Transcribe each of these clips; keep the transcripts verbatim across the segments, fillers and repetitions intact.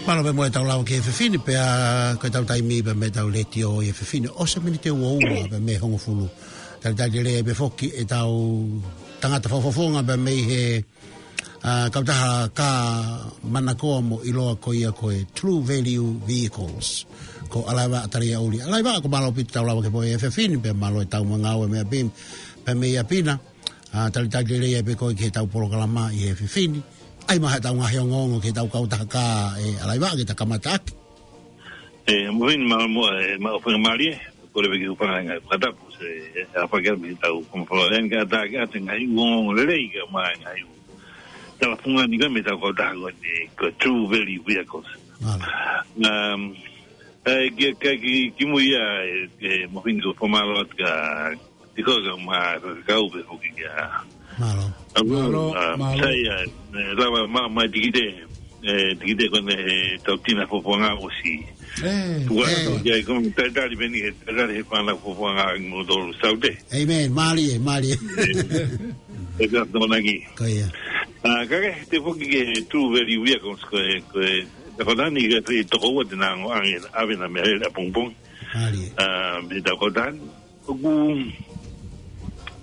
Mālō pē mo e tau lava ki he efiafi ni pea ko e tau taimi pē mei he tau letiō ʻi he efiafi ni. ʻOsi e miniti ʻe ua pē mei he hongofulu. Talitali lelei pē foki ʻetau tangata fakafofonga pē mei he, ā, kautaha kā manakoa mo ʻiloa ko ia ko e True Value Vehicles. Ko ʻAlaiva Taliauli. ʻAlaiva, ko e mālō ʻaupito tau lava ki he pō ʻi he efiafi ni pea mālō e tau ngāue mei ʻapi, pē mei ʻapi na. Ā, talitali lelei pē koe ki he tau polokalama ʻi he efiafi ni. ʻAi mai haʻatau ngaahi ongoongo ki he tau kautaha kā ē ʻAlaiva ke ta kamata ʻaki. ʻE, moʻoni, mālō mo, ʻe, mālō fakamālie, ko e leve ki he ʻū fanga ngaahi fakatapu, se, ʻe, ʻa fakea mei he tau kama fala, ʻe, ka ta ke ʻata ngaahi ongoongo lelei ka mai ngaahi ʻū tala fungani ka mei he tau kautaha ko eni, ko e True Value Vehicles. Mālō. Um, ʻe, ki, ki, ki, ki mui ia, ʻe, ʻe, moʻoni ko e fakamālō atu ka, Tiko ka ma kau pē foki kia. Mālō. Mālō, mālō. Sai, ʻe, lava ma, ma tikite, ʻe, tikite ko eni he tau tina fofonga ʻosi. ʻE, ʻe. Ko e talitali pē eni, talitali he fānau fofonga mo tolu saute. ʻĒmeni, mālie, mālie. ʻE, ʻe ka tōnaki. Ko ia. Ā, ka ke, te foki ki he True Value Vehicles ko e, ko e, tau kautaha ni ka te toko ua te nau ʻoange, ʻave ʻena meʻalele ʻapongipongi. Mālie. Ā, mei he tau kautaha ni. ʻOku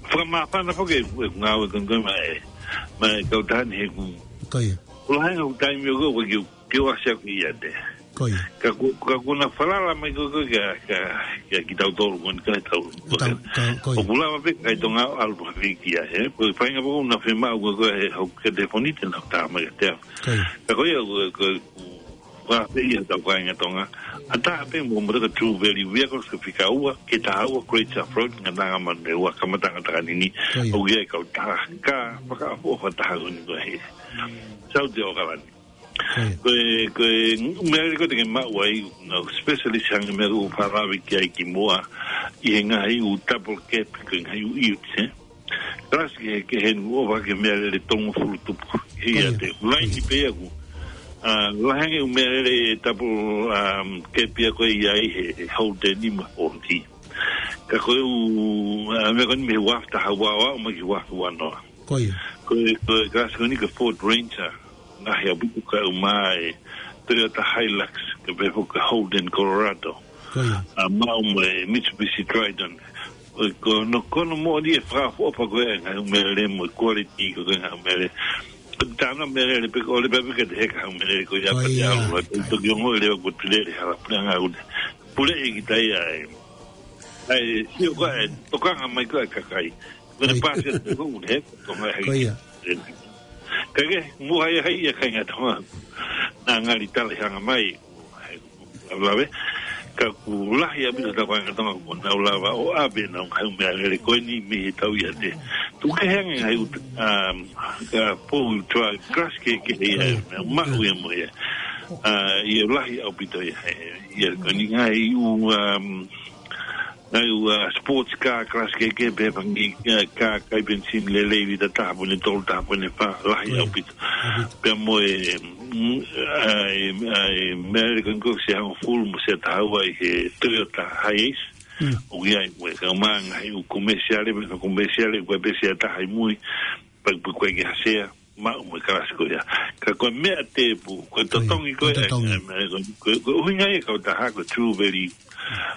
fakamāfana foki ʻeku, ʻeku ngāue ko eni mai, mai kautaha ni he ʻoku. Ko ia. ʻOku lahi ange ʻeku taimi ʻoku, ʻoku ke, ke ʻosi ʻaku ʻiate. Ko ia. Ka ʻoku, ka ʻoku na falala mai ko, ko, kia, kia, kia kitautolu ko eni ka tau. Tau, ka, ko ia. ʻOku lava pē kakai Tonga ʻo ʻalu pē ki ai, he. Ko e faʻahinga poko na fiemaʻu ko, ko e hoku telefoni te nau tā mai kiate au. Ko ia. Ka ko ia, ko, ko, Ko e pē ia tau kāinga Tonga. ʻA taha pē mo, mo e True Value Vehicles ko e fika ua, ke taha ua, Great South Road, Ngataʻanga Manurewa, kamataʻanga Takanini. Ko ia. ʻOku ʻi ai e kautaha kā fakaʻofoʻofa taha ko eni ko e he Saute ʻAokalani. Ko ia. Ko e, ko e, meʻa ko ē te ke maʻu ai, ngaahi specialist hangē ko e meʻa ʻoku ou fakalave ki ai kimuʻa, ʻi he ngaahi ʻū double cab, ko e ngaahi ʻū ute, ē. Kalasi kehekehe ʻoku ʻofa ki he meʻalele tolungofulu tupu. Ia. Ko ia. Te laini pē ʻaku. Ā, lahi ange ʻū meʻalele ʻe double, um, cab ia ko ē ʻi ai he, he Holden mo e Ford. Ka ko e ʻū, ā, meʻa ko eni mei he ua afe taha ua ua ʻo aʻu mai ki he ua afe ua noa. Ko ia. Ko e, ko e kalasi ko eni ko e Ford Ranger. Lahi ʻaupito ka ʻoku ʻomai ʻe he Toyota Hilux, kae pehē foki ki he Holden Colorado. Ko ia. Ā, maʻu mo e Mitsubishi Triton. ʻOku, ko hono, ko hono moʻoni e fakaʻofoʻofa ko ē ngaahi ʻū meʻalele mo e quality ko ē ngaahi ʻū meʻalele. Ko e tana meʻalele pē ko e ʻole pē pē ke te heka ʻū meʻalele ko ia. Ko ia. Pea te alu, ʻa e toki ongo leva ko e pule ʻi he hala puleʻanga ʻoku ne. Pule ʻi kita ia ē. ʻAi, sio ko ē, tokanga mai ko ē kakai. Ko e. Ko ia. Pasi atu ko ē, he, ko e. Ko ia. Ka ke, mo hai hai ia kāinga Tonga. Naʻa ngali tala hanga mai. Lave. Ka ʻoku lahi ʻaupito tau kāinga Tonga ʻoku nau lava ʻo ʻave ʻenau ngaahi ʻū meʻalele ko eni mei he tau ʻiate. Tuku kehe ange ngaahi ʻū, um, ka pou tua kalasi kehekehe ia, ko ia. Meʻa maʻu ia mo ia. Ā, ʻoku lahi ʻaupito ia, he, ia ko eni ngaahi ʻū, um, ngaahi ʻū, ā, sports car, kalasi kehekehe pē fanga, ā, kā kai penisini lelei, lita taha poini tolu, taha poini fā, lahi ʻaupito. Ko ia. ʻAupito. Pea mo e, mm, ʻa e, ʻa e, meʻalele ko eni ko e sia hongofulu mo e sia taha ua ʻi he Toyota Hiace. Mm. ʻOku ʻi ai mo e, ka ʻoku ʻomai ngaahi ʻū komesiale, mo e komesiale, ko e pē sia taha ʻi mui, pea, pea ko e ke hasea. Maʻu mo e kalasi ko ia. Ka ko e meʻa tēpū, ko e totongi ko ia, ko e totongi. Ē, meʻa ko, ko, ko e ʻuhinga ia e kautaha ko e True Value.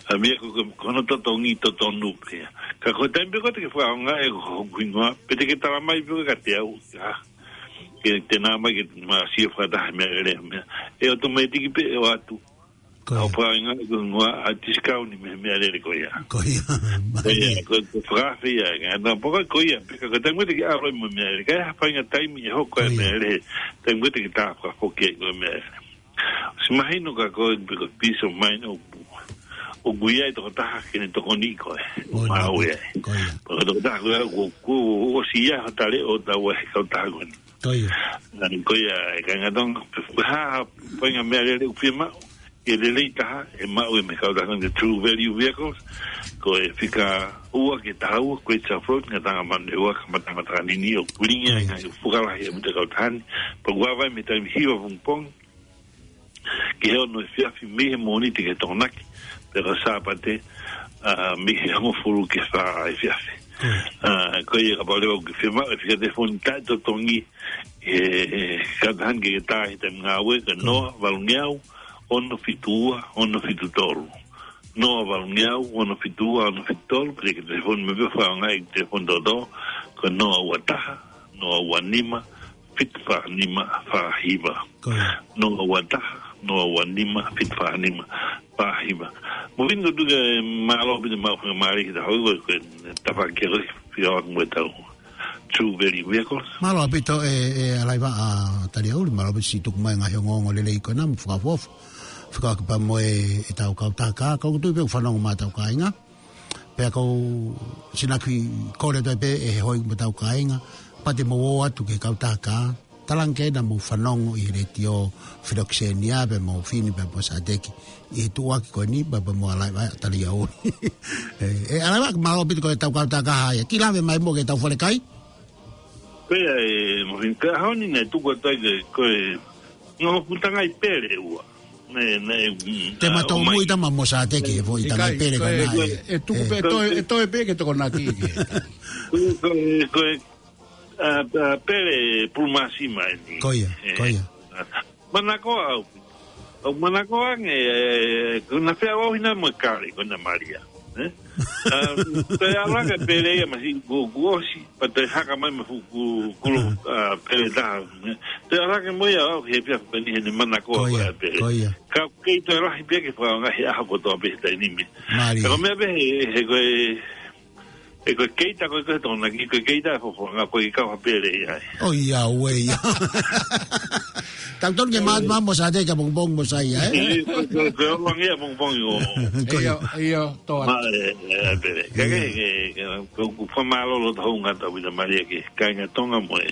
Ā, meʻa ko, ko, ko hono totongi totonu pē ia. Ka ko e taimi pē ko ē te ke fakaʻaongaʻi ʻe koe hoku hingoa, pe te ke tala mai pē kiate au, ā, ke te nā mai ke ma sio fakataha meʻalele meʻa. ʻE automatic pē ʻe ʻoatu. Ko ia. ʻOku faʻahinga ko e hingoa ʻa e discount mei he meʻalele ko ia. Ko ia. Ko ia, ko, ko e fakaafe ia, ka na poko ko ia, pea ka ko e taimi ko ē te ke ʻalu ai mo e meʻalele, ka ʻi ai ha faʻahinga taimi ʻe hoko ai e meʻalele, taimi ko ē te ke tā fakafoki ai ko e meʻalele. ʻOsi mahino ka ko e, pe ko e peace of mind ʻoku, ʻoku ʻi ai e tokotaha ke ne tokoniʻi koe. Ko ia. Maʻu ia. Ko ia. Pea ko e tokotaha ko ia, ko, ko, ʻosi ia ha tale ʻo tau he kautaha ko eni. Ko ia. Nani ko ia, ʻe kāinga Tonga, pe ko e hā ha faʻahinga meʻalele ʻoku fiemaʻu, ʻe lelei taha, ʻe maʻu ia mei he kautaha ko eni True Value Vehicles, ko e fika ua ke taha ua, Great South Road, Ngataʻanga Manurewa, kamataʻanga Takanini, ʻoku lilingi ai e ngaahi fuʻu lahi ʻaupito e kautaha ni, pea ʻoku ava ai mei he taimi hiva pongipongi, ki he ono efiafi mei he Mōnite ki he Tokonaki, pea ko e Sāpate, ā, mei he hongofulu ki he fā efiafi. Ā, ko ia kapau leva ʻoku ke fiemaʻu e fika telefoni taʻetotongi, ʻE, ʻe, kātaki ke tā he taimi ngāue, ko e noa valungeau, ono fitu ua, ono fitu tolu. Noa valungeau, ono fitu ua, ono fitu tolu, pea ke telefoni mai pē fakaonga e telefoni toto, ko e noa ua taha, noa ua nima, fitu fā nima, fā hiva. Ko ia. Noa ua taha, noa ua nima, fitu fā nima, fā hiva. Mo vini ko tuka e mālō pita mau fanga mālō ki ta hoi ko e tafaʻaki ko e fia wak mo e tau. True Value Vehicles. Mālō ʻaupito e, e ʻalaiva ʻa Taliauli, mālō ʻaupito siʻi tuku mai ngaahi ongoongo lelei ko ena mo fakaʻofoʻofa. Fekauʻaki pea mo e, e tau kautaha kā, kau tui pē ʻoku fanongo mai tau kāinga. Pea kau sinaki kole toe pē ʻe he hoi mo tau kāinga. Pea te mou ō atu ki he kautaha kā. Talange ke na mou fanongo ʻi he letiō Filokisenia pea mo Fini pea mo Sateki. ʻI he tuʻuaki ko eni pea mo ʻalaiva ʻa Taliauli. ʻE, ʻe ʻalaiva mālō ʻaupito ko e tau kautaha kā ia. Ki lave mai mo ke tau falekai. Pea e, mo fin ka honi ne tuku atu ai ke, ko e, ngā putangai pele ua. Ne, ne, mm, Te ma ah, tau o mai. Mui tama mo Sateki, he foʻi tangai Ikai, pele ko ka e, na ko e, e. e tuku E. pē, Ko e, toe, e toe pē ke tokonaki ke. Ko e, ko e, ko e, ah, ah, pele pulumāsima eni. Ko ia, E, ko ia. ah, manako au. Au manako ange, e, ko na fea au hina mo kale, ko na Malia. E? Ah, te ala ke pele ia masi ku, ku osi, pa te haka mai ma fu, ku, ku, ah, pele taha. E? Te ala ke mo ia au, he pia ko ni he ne manako Ko au ia, e pele. ko ia. Ka kei toe lahi pē ke fakaonga he ʻaho kotoa pē he taimi ni. Mālie. Ka ko e meʻa pē he, he ko e, he ko e keita ko e ko e tona ki ko e keita e fofonga ko e kau ha pele ia. ʻOiauē ia. Tau tonu ke mā, mā mo Sateki ka pongipongi mo Saia, e? E, ko, ko, ko e ʻalu ange ia pongipongi ʻo. Ko ia. Ia, ia, toa. Ma, e, e, pele. Ka Ia. ke, ke, ke, ko, ko fakamālō loto hounga tau vita Malia ke kāinga Tonga mo e.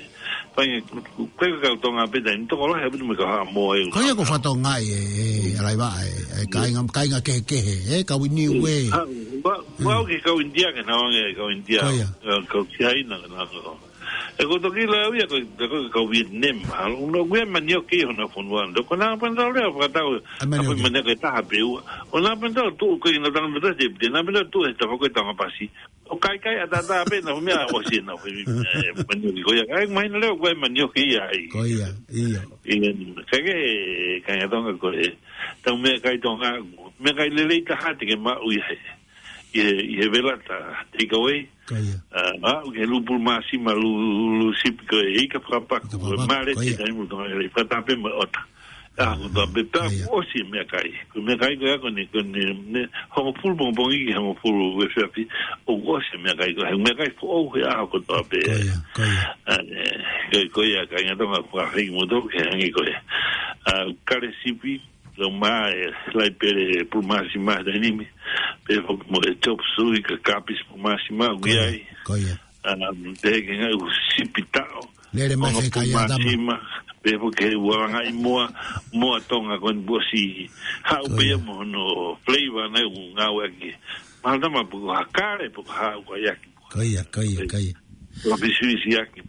Fai ko e kau Tonga pē taimi tokolahi ʻaupito mo e kau Haʻamoa e. Ko ia ko fatonga e, e, ʻalaiva e, e, kāinga, kāinga kehekehe, e, kau ʻi Niue. Ha, ua, ua au ke kau India ke na onge kau India. Ko ia. Kau, kau Siaina ke na onge. E ko toki la au ia ko, ko, ko kau Vietnam. Ha, uno gue manioki hona fonua. Ko na pa na lea fakatau. A manioki. Ko manioki taha pē ua. O na pa na tu ko ina tanga mata te, na pa na tu e tafa ko e tanga pasi. ʻO kaikai ʻatā pē na fu meʻa ʻosi na fu, e, manioki ko ia. Ai, mahino leo ko e manioki ia ai. Ko ia, ia. Ia, ka ke, kāinga Tonga ko e, tau meʻakai Tonga, meʻakai lelei taha te ke maʻu ʻi he, ʻi he, ʻi he velata, take away. Ko ia. Ah, maʻu ke lū pulumāsima, lū, lū sipi ko e ika fakapaku, Ika fakapaku, male ko ia. Te taimi Tonga lelei, fakataha pē mo e ʻota. Ah, ko tā pē tā Ko ia. ʻosi e meʻakai. Ko e meʻakai ko ia ko eni, ko eni, ne, hongofulu pongipongi ki hongofulu efiafi, ʻoku ʻosi e meʻakai ko e, he meʻakai foʻou he ʻaho kotoa pē. Ko ia, ko ia. Ah, e, ko, ko ia, kāinga Tonga fakahiki mo tau ke hangē ko e. Ah, kale sipi, lau mā e, lai pele pulumāsima he taimi ni, pea foki mo e chop suey ka kapisi pulumāsima, Ko ia, ui ai. ko ia. Ah, te ke ngai u sipi taʻo. Lele mai Ono he kai atama. pulumāsima, pea foki he ua langai moa, moa Tonga ko eni ʻosi. Haʻu Ko pē ia. ia mo hono flavor naʻe u ngāueʻaki. Mahalo tama puku hakare, puku hau kai aki. Ko ia, ko ia, ko ia. Ua pisuisi aki.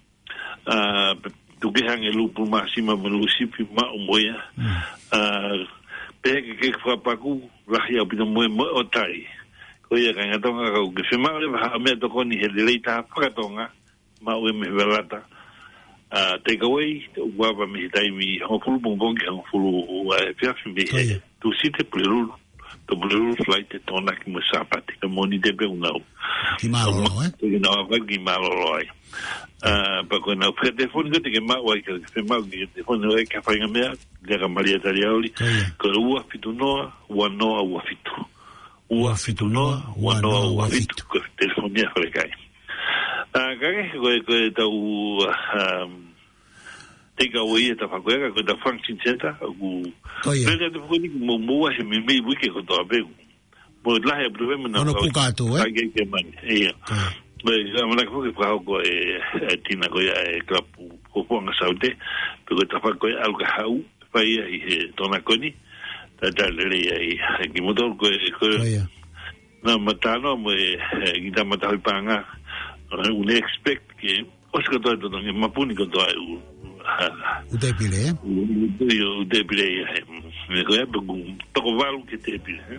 Ah, pe-, tuku ke hangē lū pulumāsima mo lū sipi maʻu mo ia. Mm. Ah, pehē ke ke fakapaku, lahi ʻaupito mo e mo e ʻotai. Ko ia kāinga Tonga kau ke fiemaʻu leva ha meʻatokoni he lelei taha fakatonga, maʻu ia mei he velata. Ah, take away, ʻoku ava mei he taimi hongofulu pongipongi ki hongofulu, ah, efiafi mei Ko he ia. Tūsite, Pulelulu, to Pulelulu, Falaite, Tokonaki mo Sāpate, ka Mōnite pē ʻoku nau. Ki mālōlō, e? Ko ʻenau ava ki mālōlō ai. Ah, pea ko ʻenau fika telefoni ko ē te ke maʻu ai, ke fiemaʻu ke telefoni ai ki ha faʻahinga meʻa, lea kia Malia Taliauli, Ko ia. ko e ua fitu noa, ua noa ua fitu. Ua fitu noa, ua noa ua fitu. Ko e telefoni ia falekai. Ah, ka ke, ko e, ko e tau, ah, um, take away e tafaʻaki ko e, ka ko e tau function center, ʻoku Ko ia. pele atu foki ni mo, mo ua he meimei uike kotoa pē. Mo lahi ʻaupito pē mo na Ono kau kuka atu, e? kai ke, ke mani. Ia. Ko ia. Ko e, ka mana foki fakahoko e, e tina ko ia e kalapu ko Fonga Saute, pe ko e tafaʻaki ko e ʻalu ka haʻu, fai ia ʻi he Tonga ko eni, ta ta lele ia ʻi, ki moutolu ko e, ko e, Ko ia. na matano mo e, e, kita matahoipanga, e, ʻoku ne expect ke, ʻosi kotoa e totongi, mapuni kotoa e u, ha, ʻUtepile, e? u, u, u, ʻUtepile ia, e, mm, me ko e, pe ku, toko valu ki he Tepile, e?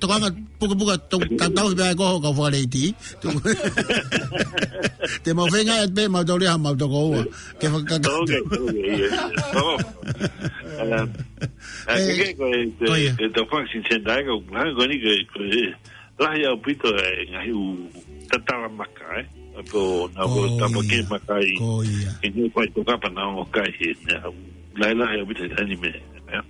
tokanga pukapuka tau, tau, tau, pea ko ho kau fakaleiti. Te mau feinga ʻe pē mau tau lea mau toko ua. Ke fakakaka. Okay, okay, yeah. Oh. Um, uh, Eh, ke, ke, ke, ko ia. Ke tau function center, ko, ha, ko ni ke, ke, lahi ʻaupito e ngaahi ʻū tatala maka, eh. Ako, na ko Oh, tapa ke ia. Makai. Ko ia. Ke ne fai tokapa na o kai he, ne au. Lahi lahi ʻaupito e taimi meʻa, eh.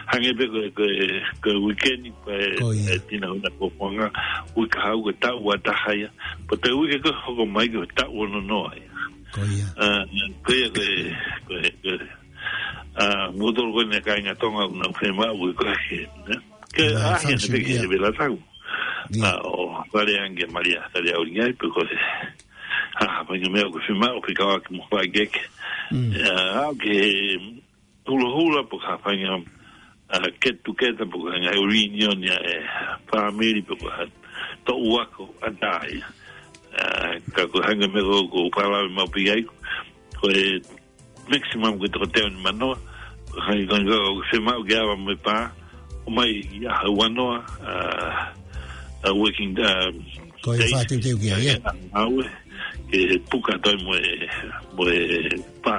Hangē pē ko e, ko e, ko e weekend, ko e, Ko ia. E tina una ko fonga, uike hau ko e taʻu ua taha ia. Pea ko e uike ko ē hoko mai ko e taʻu ono noa ia. Ko ia. Ah, ko ia ko e, ko e, ko e, ah, mou tolu ko eni kāinga Tonga ʻoku nau fiemaʻu ko e, ne? Ke Ia, ahi ʻana function, pē ke ia. He vela tau. Ia. Ah, ʻo fale ange Malia, fale au ngai pē ko e. Ah, fanga meʻa ʻoku fiemaʻu, fika ʻoku mo fai keke. Mm. Ah, ke hulahula pe ko ha faʻahinga, uh, get together pe ko ha ngaahi reunion ia e family pe ko ha toʻu ako ʻatā ia. Uh, ka ko e hangē ko e meʻa ko, ko Palave mau pē ai, ko e maximum ko e toko teau ni manoa, ko e hangē ko e, ko e fiemaʻu ke ava mo e pā, ʻo mai ia ha uanoa, uh, uh, working, uh, Ko e days. Fā teuteu ki ai, ia. Aue, ke puka toi mo e, mo e pā.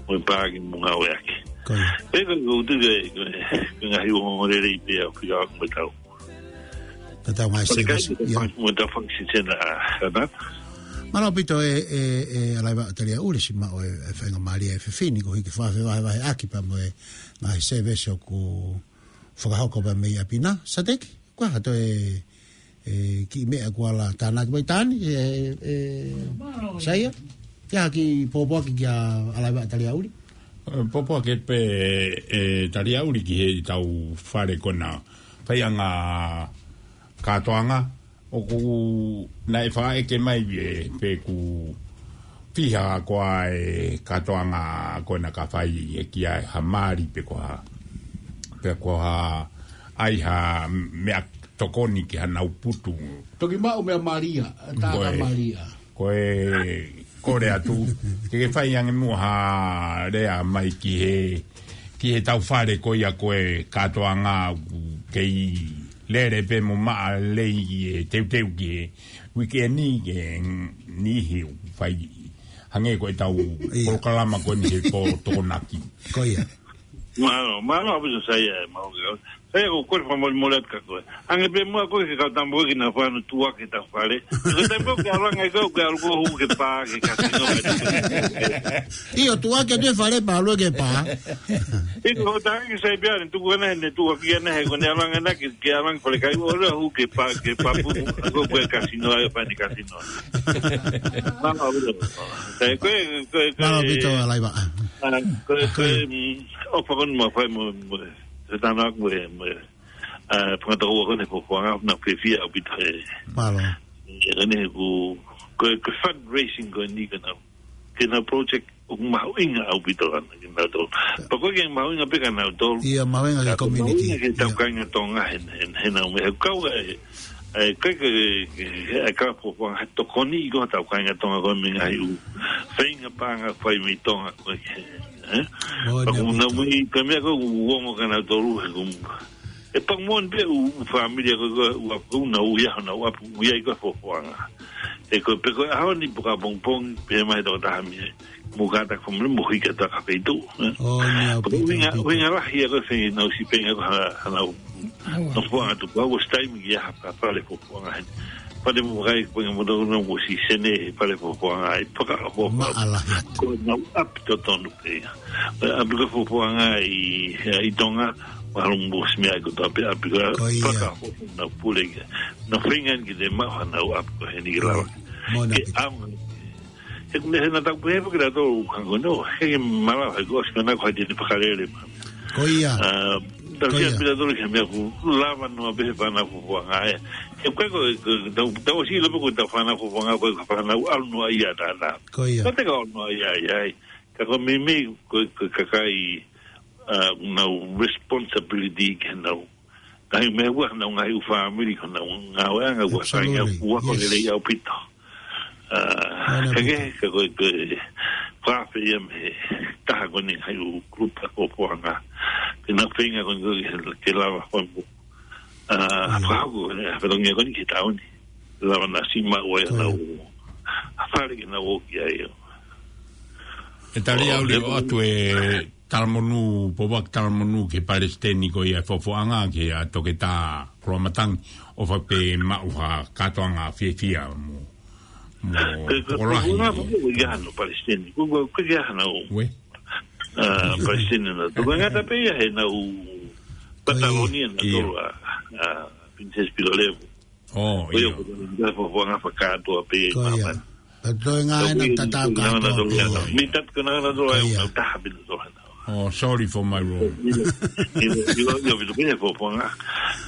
Mo e pā ke mo ngāueʻaki. Ko ia. Pea ko e, ko e, ko e, ko e ngaahi ongoongolelei pē ʻoku fika ʻoku mo tau. Ka tau mai Ko e se kai vesi, ke ia. Mo tau function center, ah, ka na. Mālō ʻaupito e, e, e, Alaiva Talia Uli, siʻi maʻu e, e faingamālie e fefine, ko e hiki fakafaʻahinga vahevaheʻaki pea mo e ngaahi service ʻoku fakahoko pea mei ʻapi na. Sateki, ko e hā toe, e, kiʻi meʻa kuo ala tānaki mai tani, e, e, Saia? Ke ha kiʻi pōpoaki kia Alaiva Talia Uli? E, pōpoaki pē, e, Talia Uli ki he tau fale ko ena faiʻanga kātoanga, ʻoku naʻe fakaʻeke mai e, pe ʻoku fiha koā e kātoanga ko ena ka fai ʻe ia ha mali pe ko ha, pe ko ha ʻai ha meʻa tokoni ki hanau putu. Toki maʻu meʻa malia, tā Ko ka e, malia. Ko e kole atu, ke ke fai ange muʻa ha lea mai ki he, ki he tau fale ko ia ko e kātoanga ʻoku kei lele pē mo maʻa lelei e teuteu ki he weekend ke niʻihi ʻoku fai. Hangē ko e tau Ia. Polokalama ko eni he pō Tokonaki. Ko ia. Mālō, mālō ʻaupito Saia e mau ke. Saia ko e kole fakamolemole atu kia koe. Hangē pē muʻa ko e ke kau tambo ke na fano tua ke ta fale. Ko e taimi ko ē ke ʻalu ange ko e ke ʻalu ko e hū ki he pā ke kasino. ʻIo, tua ke te fale pā ʻalu ki he pā. ʻIo, ko e taha ke sai pē ʻa eni tuku ʻana he ne tua ki ʻana he ko ʻene ʻalu ange ʻana ke, ke ʻalu ange fale kai ʻo lea hū ki he pā, ki he pā pū. Ko e kasino ai, pā ni kasino. Mālō ʻaupito. Sai, ko e, ko e, ko e, Mālō ʻaupito Alaiva. Ah, ko e, ko e, Ko e. Mm, ʻofa ko eni mo fai mo, mo, se tana ko e, mo, ah, fanga tokoua ko eni he fuafuanga, naʻa ku fiefia ʻaupito he. Mālō. He ko eni he ko, ko e, ko e fundraising ko eni ke nau, ke nau project ʻoku mahuʻinga ʻaupito ʻana ke nau tolu. Pea ko e ke mahuʻinga pē ke nau tolu. Ia, mahuʻinga ki he Ka ko e community. Mahuʻinga ki he tau Ia. Kāinga Tonga he, he, he nau meʻa. He kau e, e, ke, ke, ke, e ka fuafuanga he tokoni ʻi ko e tau kāinga Tonga ko e mei he ngaahi ʻū feinga paʻanga fai mei Tonga ko e, eh? Oi, Pea ko e ʻaupito. Nau mui, ko e meʻa ko e ʻoku ongo kia nautolu, he ko e, ʻe pau mo e pē ʻū, ʻū fāmili ko e, ko e, ʻū ʻapi, ʻū nau ʻi ai, nau ʻapi, ʻū ʻi ai ko e fuafuanga. He ko e pē ko e ʻaho ni pe ko e ʻapongipongi, pehē mai e tokotaha mei ai. Mo kātaki fāmili mo hiki atu ki ha feituʻu, eh? ʻO, ni au Pea ko e pita ʻuhinga, pita. ʻUhinga lahi ia ko e feinga naʻa ku sio pē ange ko ha, ha nau, Au. nau fuaʻanga atu, pea ʻosi taimi ki ha, ha fale fuafuanga heni. Fale mo kai, ko e ngaahi moto nau ʻosi sene he fale fuafuanga ai, paka fuafuanga. Maʻalahi atu. Ko e nau ʻapi totonu pē ia. Ko e ʻapi ko e fuafuanga ʻi, ʻi Tonga, mahalo mo ʻosi meʻa ai ko e tau pē ʻapi ko e Ko ia. paka fuafuanga nau pule ia. Nau feinga ke te maʻu hanau ʻapi ko heni ke lava. Mo na Ke pita. ʻAonga. He ko e meʻa he naʻa tau pehē pē kia tautolu hangē ko eni, he ke malava, he ko e ʻosi ko ena ko hai te ne fakalele mai. Ko ia. Ah, tau Ko sia ia. pē tautolu ki he meʻa ʻoku lava noa pē he fānau fuafuanga ē. He ko e ko, ko, tau, tau ʻosi ʻilo pē ko e tau fānau fuafuanga ko e fānau ʻalu noa ia tātā. Ko ia. Ka te ka ʻalu noa ia ia ai. Ka ko e meimei, ko, ko e kakai, ʻa, nau responsibility ke nau. Ngaahi meʻa ua, nau ngaahi ʻū fāmili, ko nau ngāueʻanga ua sai ngā Absolutely. Ua ko Yes. Lelei ʻaupito. ʻA, Mana ka ke, pita. Ka ko e, ko e, fakaafeʻi ia mei he taha ko eni ngaahi ʻū kulupu ʻa e fōfōʻanga. Ke nau feinga ko eni ke, ke lava fai mo. ʻA, Ia. Fakahoko, ʻa e fatongia ko eni ki he taʻu ni. Lava naʻa siʻi maʻu ai Ko ia. Nau. ʻA fale ke nau ō ki ai ʻo. ʻE tali ʻO, au leo ʻe atu e talamonū, Pouaki talamonū ki he palesiteni ko ia e fōfōʻanga ki a Toketā Koloamatangi ʻo fai pē maʻu ha kātoanga fiefia mo, mo Ke, ke, tokolahi. Ko, ko, ko, ko, ia no palesiteni. Ko, ko, ko, ia no. Ue? ʻA, palesiteni na. Tō ngata pē ia he nau Ko ia. Patalonia na Ia. Tō a, a, Princess Pilolevu. ʻO, Ko ia ʻio. Ko ia ko fōfōʻanga fakakātoa pē Ko ia. Māmani. Ka toe ngā Ka ena ui tatau ni kātoa nana pē ia. Mei tatu ko nana tō Ko ai ia. Nau taha pē tō hana. Oh, sorry for my wrong. Ilo, ilo, ilo, ilo, pē fōfōʻanga.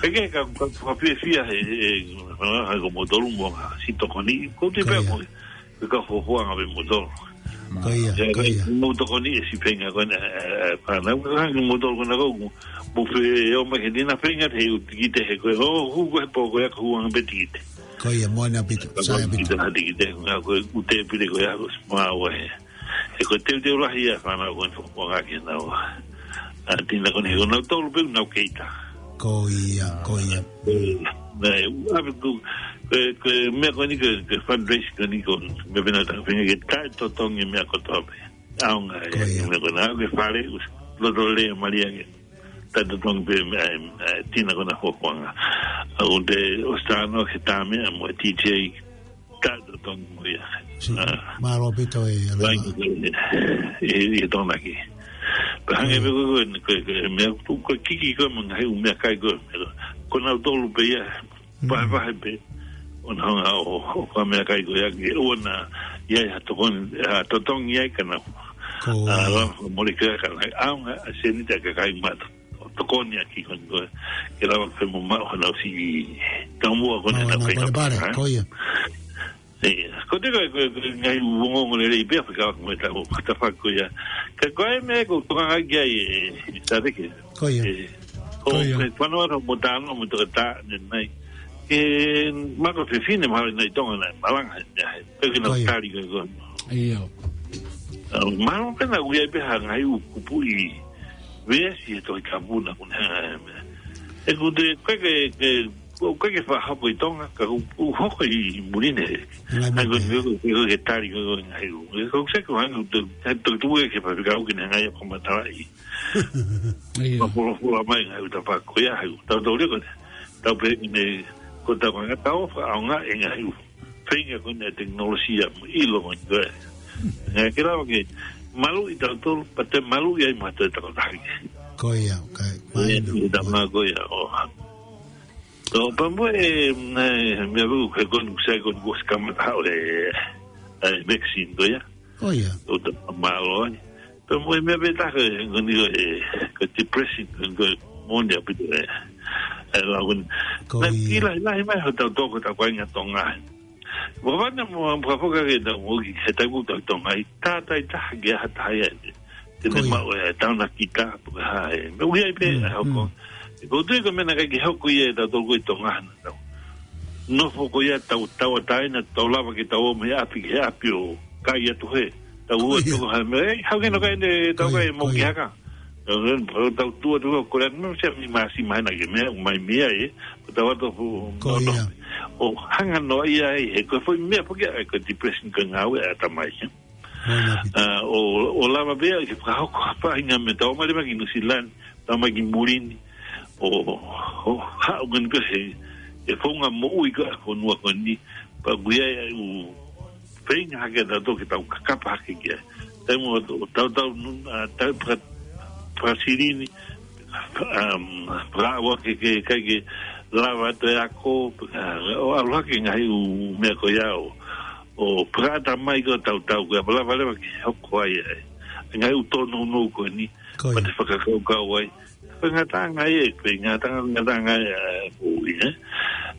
Peke ka, ka, ka fiefia he, he, he, he ko motolu mo ngā si tokoni. Ko te Ko pē ia. Ko, ka fōfōʻanga pē motolu. Ko ia, Ia, ko ia. Mo tokoni e si feinga ko ena, e, e, fānau, ka hangi motolu ko ena ko, mo fe, ʻo mai ke tina feinga te u tikite he ko, ʻo, hu ko he pō ko ia ka huanga pē tikite. Ko ia, moana pito, Ka sai ko pito. Kita ha tikite, ngā ko, u te pire ko ia ko, ma wa he. He ko teuteu lahi ia fānau ko ena fōfōʻanga ke nau. ʻA, tina ko ena he ko nau tolu pē nau keita. Ko ia, ko ia. Nai, ʻave ko, ko, ko, meʻa ko eni ko, ko fundraise ko eni ko, meʻa pē naʻa tau feinga ke taʻetotongi meʻa kotoa pē. ʻAonga Ko ia. Meʻa ko ena, ke fale, us, loto le, malia ke. Taʻetotongi pē meʻa, e, e, tina ko ena fōfōʻanga. ʻA, u te, ʻo sano ke tā meʻa mo e T J, taʻetotongi mo ia. Si, ʻA. Mālō pito e, Lainga ko e, e, e tonaki. Pea hangē Ko ia. Pē ko, ko, ko, ko, meʻa tu, ko kiki ko, mo ngaahi ʻū meʻakai ko, ko nau tolu pē ia, Mm. Vahevahe pē. ʻO nau hanga ʻo, ʻo ka meʻakai ko ia ke ʻoua naʻa ʻi ai ha tokoni, ha totongi ai ka nau. Ko ʻA, ia. Lava mole ke ka nau. ʻAonga ʻa e seniti ʻa e kakai mata. ʻO tokoni ʻa ki ko eni ko. Ke lava ke mo maʻu ha nau si. Taumua ko eni Maua nau na kai pale nau pale, ha? Ko ia. Ia. Ko te ko, ko, ko ngaahi ongoongo lelei pē ʻa fika ko e tau, tafaʻaki ko ia. Ka ko e meʻa ko, ko ngā ki ai e, e, tateke. Ko ia. E, Ko ia. Ko e fānau ʻa mo tāno mo tō tā ne nai. E, mako fefine mahalo nai Tonga nai, malanga he, he, he, peke na Ko ia. Tali ko ko. Ia. ʻA, mahalo pē naʻa ui ai pē ha ngaahi ʻū kupuʻi veesi he Tohi Tapu naʻa ku ne hanga he meʻa. ʻE ku te, ko e ke, ke, ko e ke fakahoko ʻi Tonga, ka ku, ku hoko ʻi muli ne. Ngaahi Ai ko meʻa. Ko, ko, ko ke tali ko, ko ngaahi ʻū. Ko se ko hanga, ko, ko, ko, ko ke fakahoko ne ngai ko matalaʻi. Ia. Mapolofola mai ngaahi ʻū tapa ko ia, hai, tau tau leo ko, tau pē ne, ko tau ngaahi tau fakaʻaonga e ngaahi ʻū. Feinga ko ena tekinolosia mo ʻilo mo ko e. Ngaahi ke lava ke, malu ʻi tau tolu, pea te malu ʻi ai ma te tau tahi. Ko ia, kai, Ia, mainu. Ia, tama ko ia, ʻo. Tō, pea mo e, e, meʻa vau, he ko eni, sai ko eni, ko e kamata haʻu e, e, vaccine ko ia. Ko ia. ʻO ta, mālō ai. Pea mo e meʻa pē taha, ko eni ko e, ko e depression, ko eni ko e moni ʻaupito e, e lau ko eni. Ko Naʻe ia. Ki lahi, lahi mai, ho tau toko, tau kāinga Tonga. Mo vana mo, mo ka foka ke tau, mo ki, he tau ko tau Tonga, ʻi tātai taha ke aha taha ia, te Ko ne ia. Maʻu e, tau na kita, po ka ha e. Me ui ai pē, Mm, e hoko. mm. E ko tui ko e meʻa naʻe ʻikai ke hoko ia e tau toko ʻi Tonga na tau. Nofo ko ia tau, tau a taina, tau lava ke tau ō mei ʻapi ki he ʻapi ʻo kai atu he. Tau ua Ko ia. Toko ha meʻa, e, hau ke no kai ne, tau Ko ia, kai mo ko ki ia. Haka. Tau, tau tua toko ko rea, no se mi masi mai na ke meʻa, mai mea e. Tau atu fu, Ko no, no. Ia. ʻO hanga no ia e, he ko e foʻi meʻa foki ʻa e ko e depression ko e ngāue ʻa e tamai. Moana pito. ʻA, ʻo, ʻo lava pea ke fakahoko ha faʻahinga meʻa tau mai leva ki New Zealand, tau mai ki muli ni, ʻo, ʻo haʻu ngani pea he, e founga moʻui ko e fonua ko eni, pea ui ai ʻū feinga hake ʻa tautolu ke tau kakapa hake ki ai. Taimi ʻo, ʻo tau tau, ʻa, tau paka, paka sirini, um, paka ua ke, ke, kai ke lava atu e ako, ʻa, ʻo ʻalu hake ngaahi ʻū meʻa ko ia ʻo, ʻo paka ata mai ko tautolu ko ia, pea lava leva ke hoko ai ai. Ngaahi ʻū tōnounou ko eni, Ko ia. Pea te fakakaukau ai. Ko e ngataʻanga ia, ko e ngataʻanga, ngataʻanga ia, ko ia.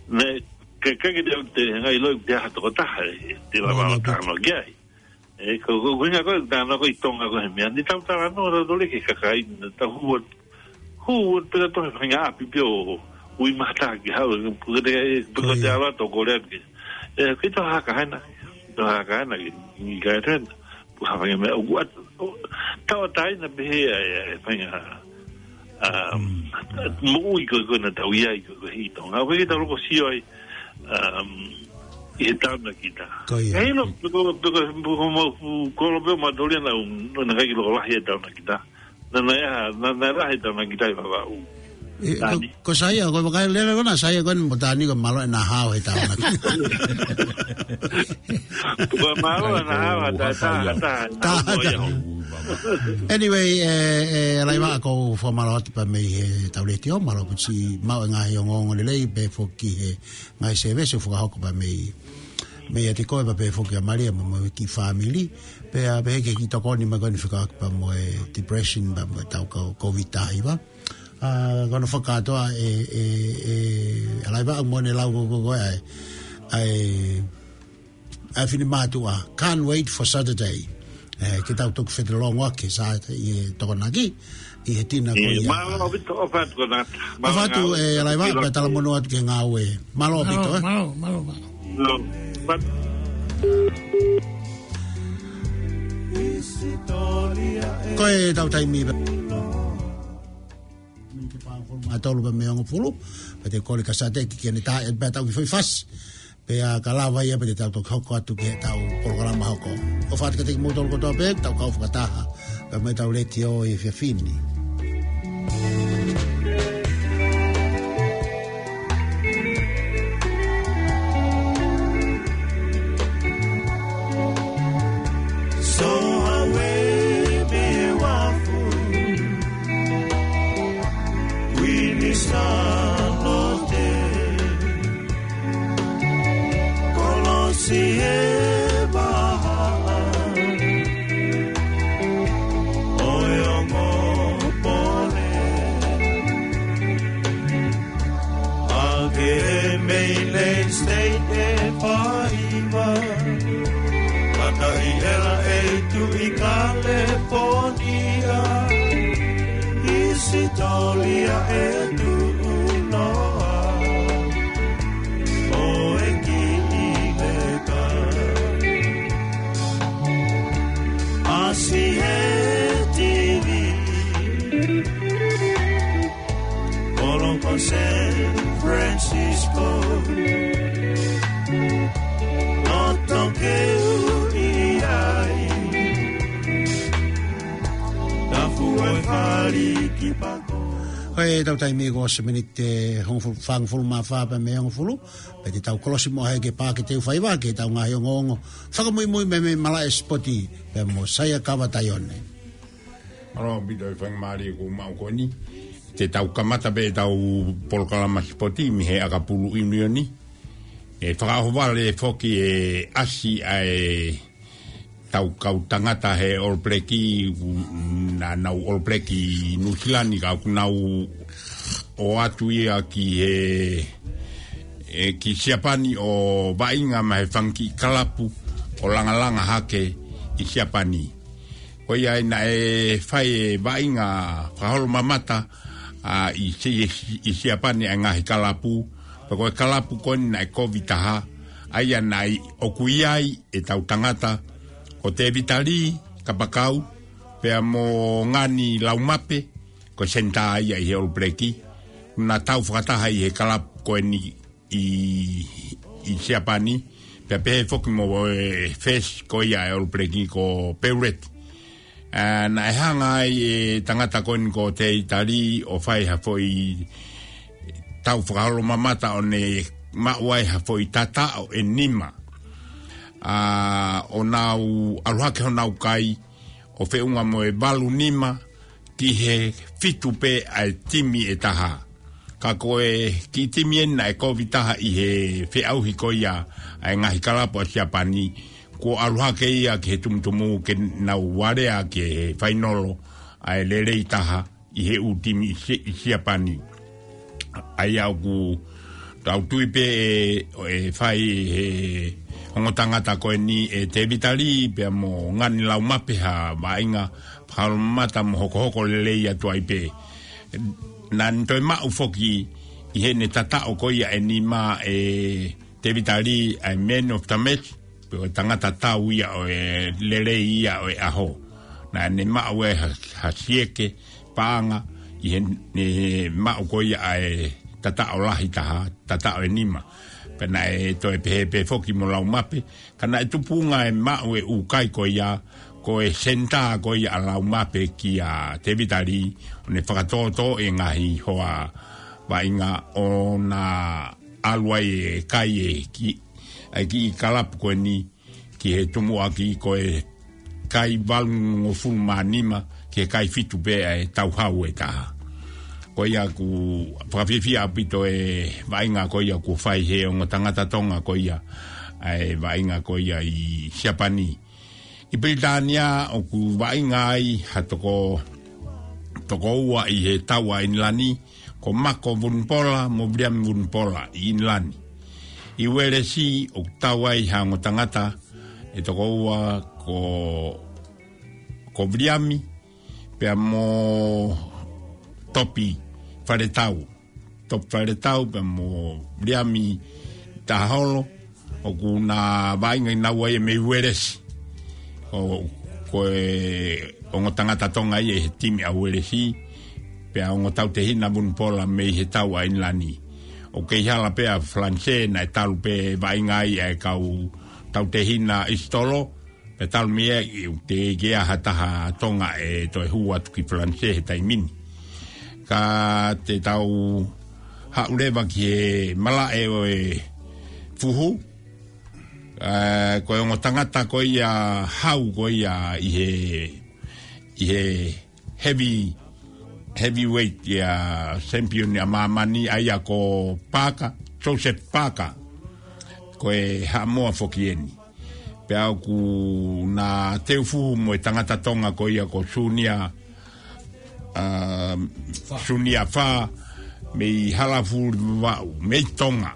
Ne, ke, ke, ke te, te, ngai loi, te aha tokotaha, te lava Moana pito. Tano ki ai. ʻE, ko, ko, ko e ʻuhinga ko e, tā na ko e ʻi Tonga ko e meʻa. Ni tau talanoa, tau tole ki he kakai, na tau hū atu. Hū atu pē ʻo tohi faʻahinga ʻapi pē ʻo ui mahaki haʻu, pukete, pukete ʻAlo atu ko Lea pē. ʻE, ko e tau haka hena, tau haka hena ki, ki kai tena. Pukea faʻahinga meʻa, ʻoku ʻat-, ʻo, tauʻatāina pē he, ʻa e, ʻa e, faʻahinga, um, moʻui ko, ko na tau ʻi ai ko, ko e ʻi Tonga. ʻOku ʻikai ke tau loko sio ai, um, ʻi he taonakita. Ko ia. Hei lo, piko, piko, piko, mo, fu, kolo pē ma toli na, na kai ki loko lahi e taonakita. Na, na ia, na, na lahi e taonakita ʻi Vavaʻu. ʻE, ko, Tani. Ko Saia, ko e vakai lele ko na Saia ko eni mo Tani ko e mālō ʻena hao he taonakita. Ko e mālō ʻena hao, ta, ta, ta, ta, ta, ta. Anyway, ʻe, ʻe, Laiva, ʻoku ou fakamālō atu pē mei he tau letiō, mālō ʻaupito siʻi maʻu e ngaahi ongoongo lelei, pea foki he ngaahi sēvesi ʻoku fakahoko pē mei, meiate koe pea pehē foki ʻa Malia mo, mo e kiʻi fāmili. Pea, pea pehē ki he kiʻi tokoni mai ko eni fekauʻaki pea mo e depression pea mo e tau ko-, COVID taha hiva. ʻA, ko hono fakakātoa ʻe, ʻe, ʻe, ʻa Laiva mo ʻene lau ko, ko, ko e, ʻa e, ʻa e, ʻa e finemātuʻa, can't wait for Saturday. ʻE, ke tau toki fetalongoaki Saturday ʻi he Tokonaki, ʻi he tina ko ia. Mālō ʻaupito, ʻofa atu ko na. ʻOfa atu, ʻe, ʻa Laiva, pea talamonū atu ki he ngāue. Mālō ʻaupito, ē? Mālō, mālō, mālō. Mālō. Ko e tau taimi pē. Miniti ʻe fāngofulu mā tolu pē mei he hongofulu, pea te u kole kia Sateki ke ne tā, ʻe pea tau kiʻi foʻi fasi. Pea ka lava ia pea te tau toki hoko atu ki he tau polokalama hoko. ʻOfa atu kiate kimoutolu kotoa pē, tau kau fakataha. Pea mei he tau letiō ʻi he efiafi ni. So awe me wafu, Winisa lote. Kolosi e vahaʻa ʻo e ongo pole. ʻAke mei Lake State ʻe faiva. Mataʻi ʻera ʻe tuʻi California. Hisitōlia ʻe tuʻuloa ʻo e kiʻi leka. ʻAsi he T V. Kolo ko San Francisco. Loto ke ui ai. Tafu ʻo e fali ki pako. Ko e tau taimi ko e miniti ʻe hongofulu, fāngofulu mā fā pē mei he hongofulu. Pea te tau kolosi mo hai ke pā ke teu faiva ke tau ngaahi ongoongo. Fakamuimui mei, mei he malaʻe sipoti pea mo Saia Kava Taione. Mālō ʻaupito e faingamālie kuo maʻu ko eni. Te tau kamata pē tau polokalama sipoti mei he ʻakapulu ʻiunioni. ʻE fakaʻohovale foki e ʻasi ʻa e tau kau tangata he All Black, naʻa nau All Black ʻi Nuʻusila ni ka ʻoku nau ō atu ia ki he, ʻe, ki Siapani ʻo vaʻinga mei he fanga kiʻi kalapu ʻo langalanga hake ʻi Siapani. Ko ia ai naʻe fai e vaʻinga fakaholo mamata, ʻa, ʻi Si-, ʻi Siapani ʻa e ngaahi kalapu, pea ko e kalapu ko eni naʻe kovi taha, ʻa ia naʻe ʻoku ʻi ai e tau tangata, ko Tēvita Lī Kapakau, pea mo Ngani Laumape, ko e senitā ia ʻi he All Black, naʻa tau fakataha ʻi he kalapu ko eni ʻi, ʻi Siapani, pea pehē foki mo e fesi ko ia e All Black ko Peuret. ʻA, naʻe hanga ai e tangata ko eni ko Tēvita Lī ʻo fai ha foʻi tau fakaholo mamata ʻo ne maʻu ai ha foʻi tataʻo ʻe nima. ʻA, ʻo nau ʻalu hake honau kai ʻo feʻunga mo e valu nima ki he fitu pē ʻa e timi ʻe taha. Ka ko e kiʻi timi eni naʻe kovi taha ʻi he feʻauhi ko ia ʻa e ngaahi kalapu ʻa Siapani, kuo ʻalu hake ia ki he tumutumu ke nau alea ki he fainolo ʻa e lelei taha ʻi he ʻū timi ʻi Si-, ʻi Siapani. ʻA ia ʻoku tau tui pē ʻe, ʻe fai he ongo tangata ko eni ʻe Tēvita Lī pea mo Ngani Laumape ha vaʻinga fakaholomamata mo hokohoko lelei atu ai pē. Naʻa ne toe maʻu foki ʻi heʻene tataʻo ko ia ʻe nima ʻe Tēvita Lī ʻa e Man of the Match, pe ko e tangata tau ia ʻo e lelei ia ʻo e ʻaho. Naʻa ne maʻu ʻe ha, ha sieke paʻanga ʻi heʻene maʻu ko ia ʻa e tataʻo lahi taha, tataʻo ʻe nima. Pea naʻe toe pehē pē foki mo Laumape, ka naʻe tupunga e maʻu e ʻū kai ko ia, ko e senitā ko ia ʻa Laumape kia Tēvita Lī, ʻo ne fakatōtō e ngaahi hoa vaʻinga ʻo na ʻalu ai e kai e ki, ʻa e kiʻi kalapu ko eni ki he tumuʻaki ko e kai valungofulu mā nima ki he kai fitu pē ʻa e tauhau ʻe taha. Ko ia ʻoku fakafiefia ʻaupito e vaʻinga ko ia ʻoku fai he ongo tangata Tonga ko ia ʻa e vaʻinga ko ia ʻi Siapani. ʻI Pilitānia ʻoku vaʻinga ai ha toko, toko ua ʻi he tau ʻa ʻInilani, ko Mako Vunipola mo Viliami Vunipola ʻi ʻInilani. ʻI Uēlesi ʻoku tau ai ha ongo tangata ʻe toko ua ko, ko Viliami pea mo Topi Faletau. Topi Faletau pea mo Viliami Taholo, ʻoku na vaʻinga ʻi naua ia mei Uēlesi. ʻO, ko e ongo tangata Tonga ia ʻi he timi ʻa Uēlesi, pea ongo tautehina Vunipola mei he tau ʻa ʻInilani. ʻOku kei hala pē ʻa Falanisē, naʻe talu pē vaʻinga ai ʻa e kau tautehina ʻIsitolo, pea talu mei ai ʻoku teʻeki ai ha taha Tonga ʻe toe hū atu ki Falanisē he taimi ni. Ka te tau haʻu leva ki he malaʻe ʻo e fuhu, ʻa, ko e ongo tangata ko ia hau ko ia ʻi he, ʻi he heavy, heavyweight ia champion ʻa māmani ʻa ia ko Parker, Joseph Parker, ko e Haʻamoa foki eni. Pea ʻoku na teu fuhu mo e tangata Tonga ko ia ko Sunia, ʻa, Sunia Fā, mei Halafuli Vavaʻu, mei Tonga.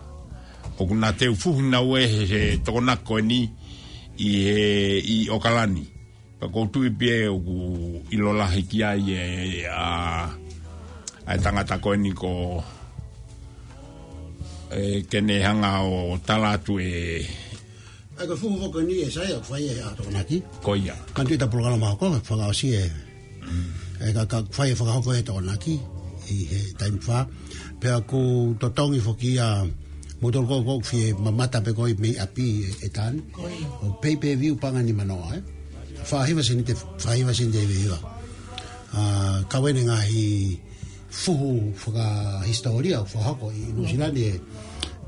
ʻOku na teu fuhu naua he, he tokonaki ko eni ʻi he, ʻi ʻOkalani. Pea ʻoku ou tui pē ʻoku ʻilo lahi ki ai e, ʻa, ʻa e tangata ko eni ko, ē, ke ne hanga ʻo tala atu e. ʻA ia ko e fuhu foki eni ʻe Saia ʻoku fai e ʻa tokonaki. Ko ia. Ka ʻi he ʻeta polokalama hoko, fakaʻosi e. Mm. ʻE ka, ka fai e fakahoko e tokonaki ʻi he taimi fā. Pea ʻoku totongi foki ia mo tolu ko, ʻoku fie mamata pē ko ē mei ʻapi e, e tani. Ko ia. ʻO pay per view paʻanga ʻe nima noa, ē. Fā hiva sēniti, fā hiva sēniti ʻe hiva hiva. ʻA, ka ʻoku ʻi ai e ngaahi fuhu fakahisitōlia ʻoku fakahoko ʻi Nuʻusila ni ʻe,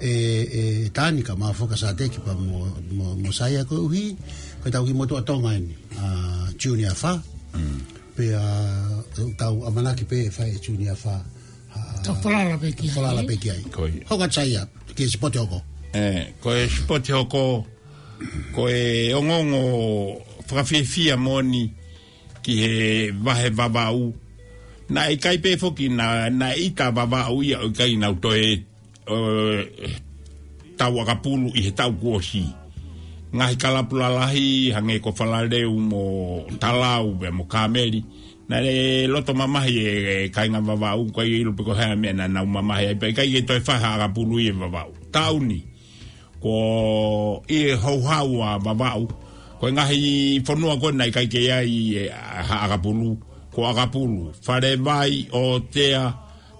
ʻe, ʻe tani ka ma foka sateki pea mo, mo, mo Saia koeʻuhi ko ʻetau kiʻi motuʻa Tonga eni, ʻa, Junior Fā. Mm. Pea, ʻa, tau ʻamanaki pē fai e Junior Fā. ʻA, tau falala pē ki ai. Falala pē ki ai. Ko ia. Hoko atu Saia, ki he sipote hoko. Ē, ko e sipote hoko, ko e ongoongo fakafiefia moʻoni ki he vahe Vavaʻu. Naʻe ʻikai pē foki na, naʻe ʻita Vavaʻu ia ʻo ʻikai nau toe, ē, tau ʻakapulu ʻi he tau kuo ʻosi. Ngaahi kalapu lalahi, hangē ko Falaleu mo Talau, pea mo Kāmeli. Naʻe loto mamahi e, e kāinga Vavaʻu, ʻikai ʻilo pe ko e hā e meʻa naʻa nau mamahi ai, pea ʻikai ke toe fai ha ʻakapulu ʻi he Vavaʻu. Taʻu ni, ko e houhau ʻa Vavaʻu, ko e ngaahi fonua ko ē naʻe ʻikai ke ʻi ai e, ha ʻakapulu, ko ʻAkapulu, Falevai, ʻOtea,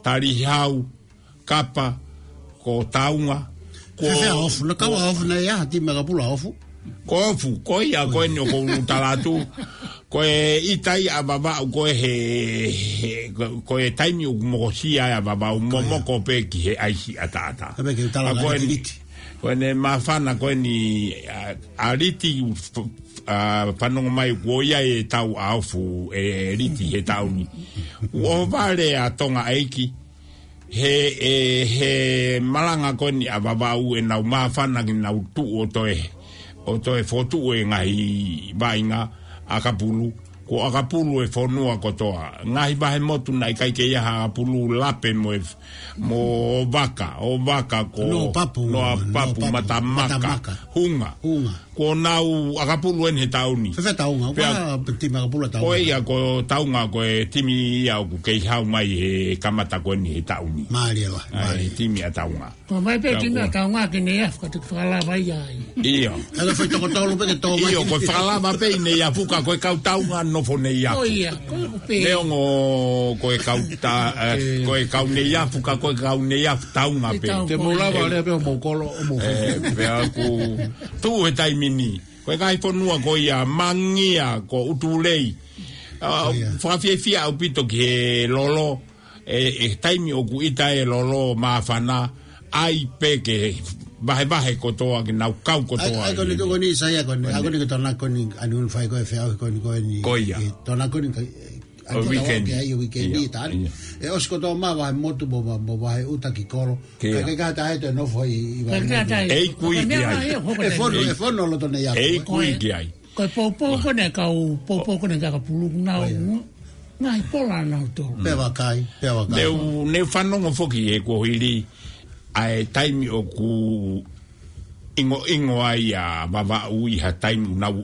Talihau, Kapa, ko Taunga, ko Fefea Ofu, naʻe kau ʻa Ofu naʻe ʻi ai ha timi ʻakapulu ʻa Ofu. Ko Ofu, ko ia, ko eni ʻoku ou tala atu. Ko e ʻita ia ʻa Vavaʻu ko ē he, he, ko, ko e taimi ʻoku mokosia ai ʻa Vavaʻu, momoko pē ki he ʻaisi ʻataʻatā. Ka pē ke tala ʻa ko eni, Liti. Ko ʻene māfana ko eni, ʻa, ʻa Liti, f-, f-, ʻa, fanongo mai kuo ʻi ai e tau ʻa Ofu ʻe Liti he taʻu ni. ʻOhovale ʻa Tonga ʻEiki, he, ʻe, he malanga ko eni ʻa Vavaʻu ʻenau māfana ke nau tuʻu ʻo toe, ʻo toe fokotuʻu e ngaahi vaʻinga ʻakapulu, ko Ko ʻAkapulu e fonua kotoa. Ngaahi vahe motu naʻe ʻikai ke ʻi ai ha ʻakapulu, lape mo e, mo vaka, ʻo vaka ko Noa Papu, Noa Papu, Noa Papu, Matamaka, Matamaka. Hunga. Hunga. Ko ʻenau ʻakapulu eni he taʻu ni. Fēfē Taunga, Pea ʻoku ʻi ai timi ʻakapulu ʻa Taunga? Ko ia ko Taunga ko e timi ia ʻoku kei hau mai he kamata ko eni he taʻu ni. Mālie lahi, ʻA e mālie. timi ʻa Taunga. Ko mai pē Pea timi ko ʻa Taunga ke ne afu ka te fakalava ia ai. ʻIo. Ka ko e foʻi toko tolu pē ke tō mai. ʻIo, ko e fakalava pē ʻi ne afu ka ko e kau Taunga nofo ne afu. Ko ia, ko ia ko pē. Neongo ko e kau ta, eh, ko e kau ne afu ka ko e kau ne afu Taunga Ko e pē. Taunga Te mou lava ia. lea pē ʻo mou kolo, ʻo mou Eh, pea ʻoku tuʻu he taimi ni. Ko e ngaahi fonua ko ia Mangia, ko ʻUtulei. Ah, Ko ia. fakafiefia ʻaupito ki he lolo. E, e taimi ʻoku ʻita e lolo māfana, ʻai pē ke vahevahe kotoa, ke nau kau kotoa ʻAi, ʻai ko eni ke ko eni Saia ko eni, Ko eni. ʻai ko eni ke tona ko eni, ʻa eni ʻoku fai ko e feʻauhi ko eni, ko eni. Ko ia. E, tona ko eni ka, e, ʻa ʻO eni ke tau weekend. ke ai weekend Ia, ni tā. ia. E ʻosi kotoa mā vahe motu mo, mo, mo vahe ʻuta ki kolo. Kia. Ka, ka, ka tā e te nofo i, i Ka, vahe ka, motu. tā e. ʻEiki ui Ka ki mea ai. ai, e, hoko E tā fono, e. e fono loto nei aku, ʻEiki ui Ko e. ki ai. Ko e poupou ko eni kau, poupou ko eni kau ʻakapulu nau, Ko ia. ngaahi pola nau tō. Pea vakai, pea vakai. Neu, neu fanongo foki he kuo hili, ʻa e taimi ʻoku ʻingoʻingo ai ʻa Vavaʻu ʻi ha taimi ʻoku nau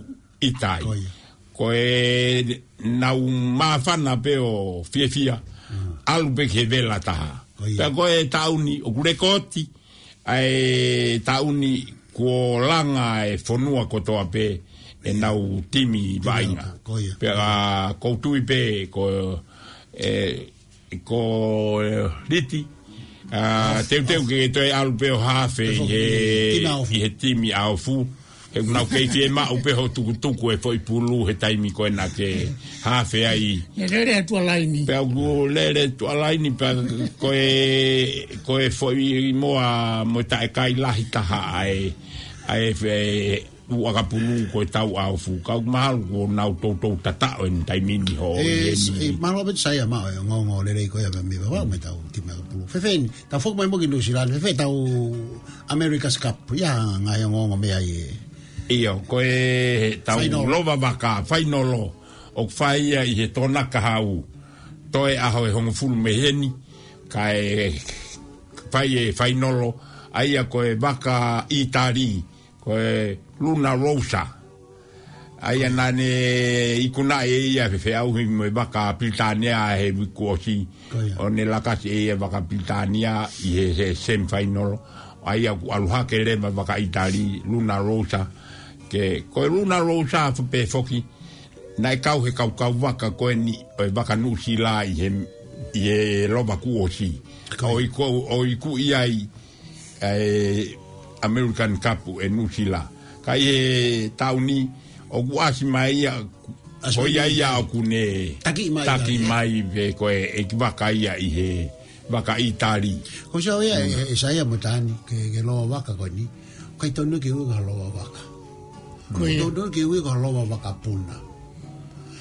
ʻita ai. Ko ia. Ko e nau māfana pē ʻo fiefia, Mm. ʻalu pē ki he vela taha. Ko ia. Pea ko e taʻu ni, ʻoku lekooti, ʻa e taʻu ni kuo langa e fonua kotoa pē ʻenau timi vaʻinga. Ko ia. Pea ʻoku ou tui pē ko, e, ko, e, Liti, ʻa, Aofu, teuteu aofu. ke toe ʻalu pē ʻo hafe Aofu, ʻi he, tina aofu. ʻi he timi ʻa Aofu. He ʻoku nau kei fiemaʻu pē hoʻo tukutuku e foʻi pulu he taimi ko ena ke hafe ai. Ne lele atu ʻa laini. Pea ʻoku lele atu ʻa laini, pea ko e, ko e foʻi moa mo e taʻekai lahi taha ʻa e, ʻa e fe-, ʻū ʻakapulu ko e tau ʻa Aofu. Ka ʻoku mahalo kuo nau toutou tataʻo ʻeni taimi ni ho E, ʻi heni. e, mahalo pē Saia maʻu e ongoongo lelei ko ia mei Vavaʻu mo e tau timi ʻakapulu. Fēfē eni, tau foki mai mo ki Nuʻusila ni, fēfē tau America's Cup, ʻi ai ha ngaahi ongoongo mei ai e. ʻIo, ko e tau Fainolo. lova vaka, fainolo, ʻoku fai ia ʻi he Tonaka Hau, toe ʻaho ʻe hongofulu mei heni, kae fai e fainolo, ʻa ia ko e vaka ʻĪtali, ko e Luna Rosa. ʻA ia naʻa ne ikunaʻi ʻe ia ʻa e feʻauhi mo e vaka Pilitānia he uike kuo ʻosi. Ko ia. ʻO ne lakasi ʻe ia vaka Pilitānia ʻi he, he semifinal. ʻA ia kuo ʻalu hake leva vaka ʻĪtali, Luna Rosa. Ke, ko e Luna Rosa fo-, pē foki. Naʻe kau he kaukau vaka ko eni ʻo e vaka Nuʻusila ʻi he, ʻi he lova kuo ʻosi. Ko ia. ʻO iku, ʻo iku ʻi ai ʻa e American Cup ʻe Nuʻusila. Ka ʻi he taʻu ni, ʻoku ʻasi mai ia, ʻAsi ko ia mai ia ia. ʻoku ne Taki mai taki ia. mai pē ko e ʻeikivaka ia ʻi he vaka ʻĪtali. Ko se au ia, Mm. e, e Saia mo Tani, ke, ke lova vaka ko eni. ʻIkai tonu ke ui ko ha lova vaka. Ko ia. ʻIkai tonu ke ui ko ha lova vakapuna.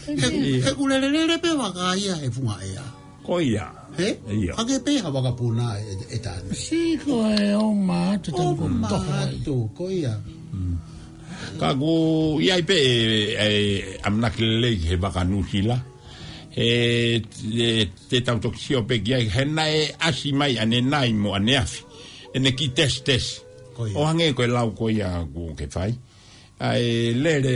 He, Ia. he ʻoku lelelele pē vaka ia he funga ʻea. Ko ia. He? Ia. Hake pē ha vakapuna ʻe, ʻe Tani. Si ko e ʻo mātu ʻO tau ko toho ai. mātu, ko ia. Mm. Ka ʻoku ʻi ai pē e, e ʻamanaki lelei he vaka Nuʻusila. He, e, te tau toki sio pē ki ai, he naʻe ʻasi mai ʻanenai mo ʻaneafi. ʻEne kiʻi tesitesi. Ko ia. ʻO hangē ko e lau ko ia ʻoku ke fai. ʻA e lele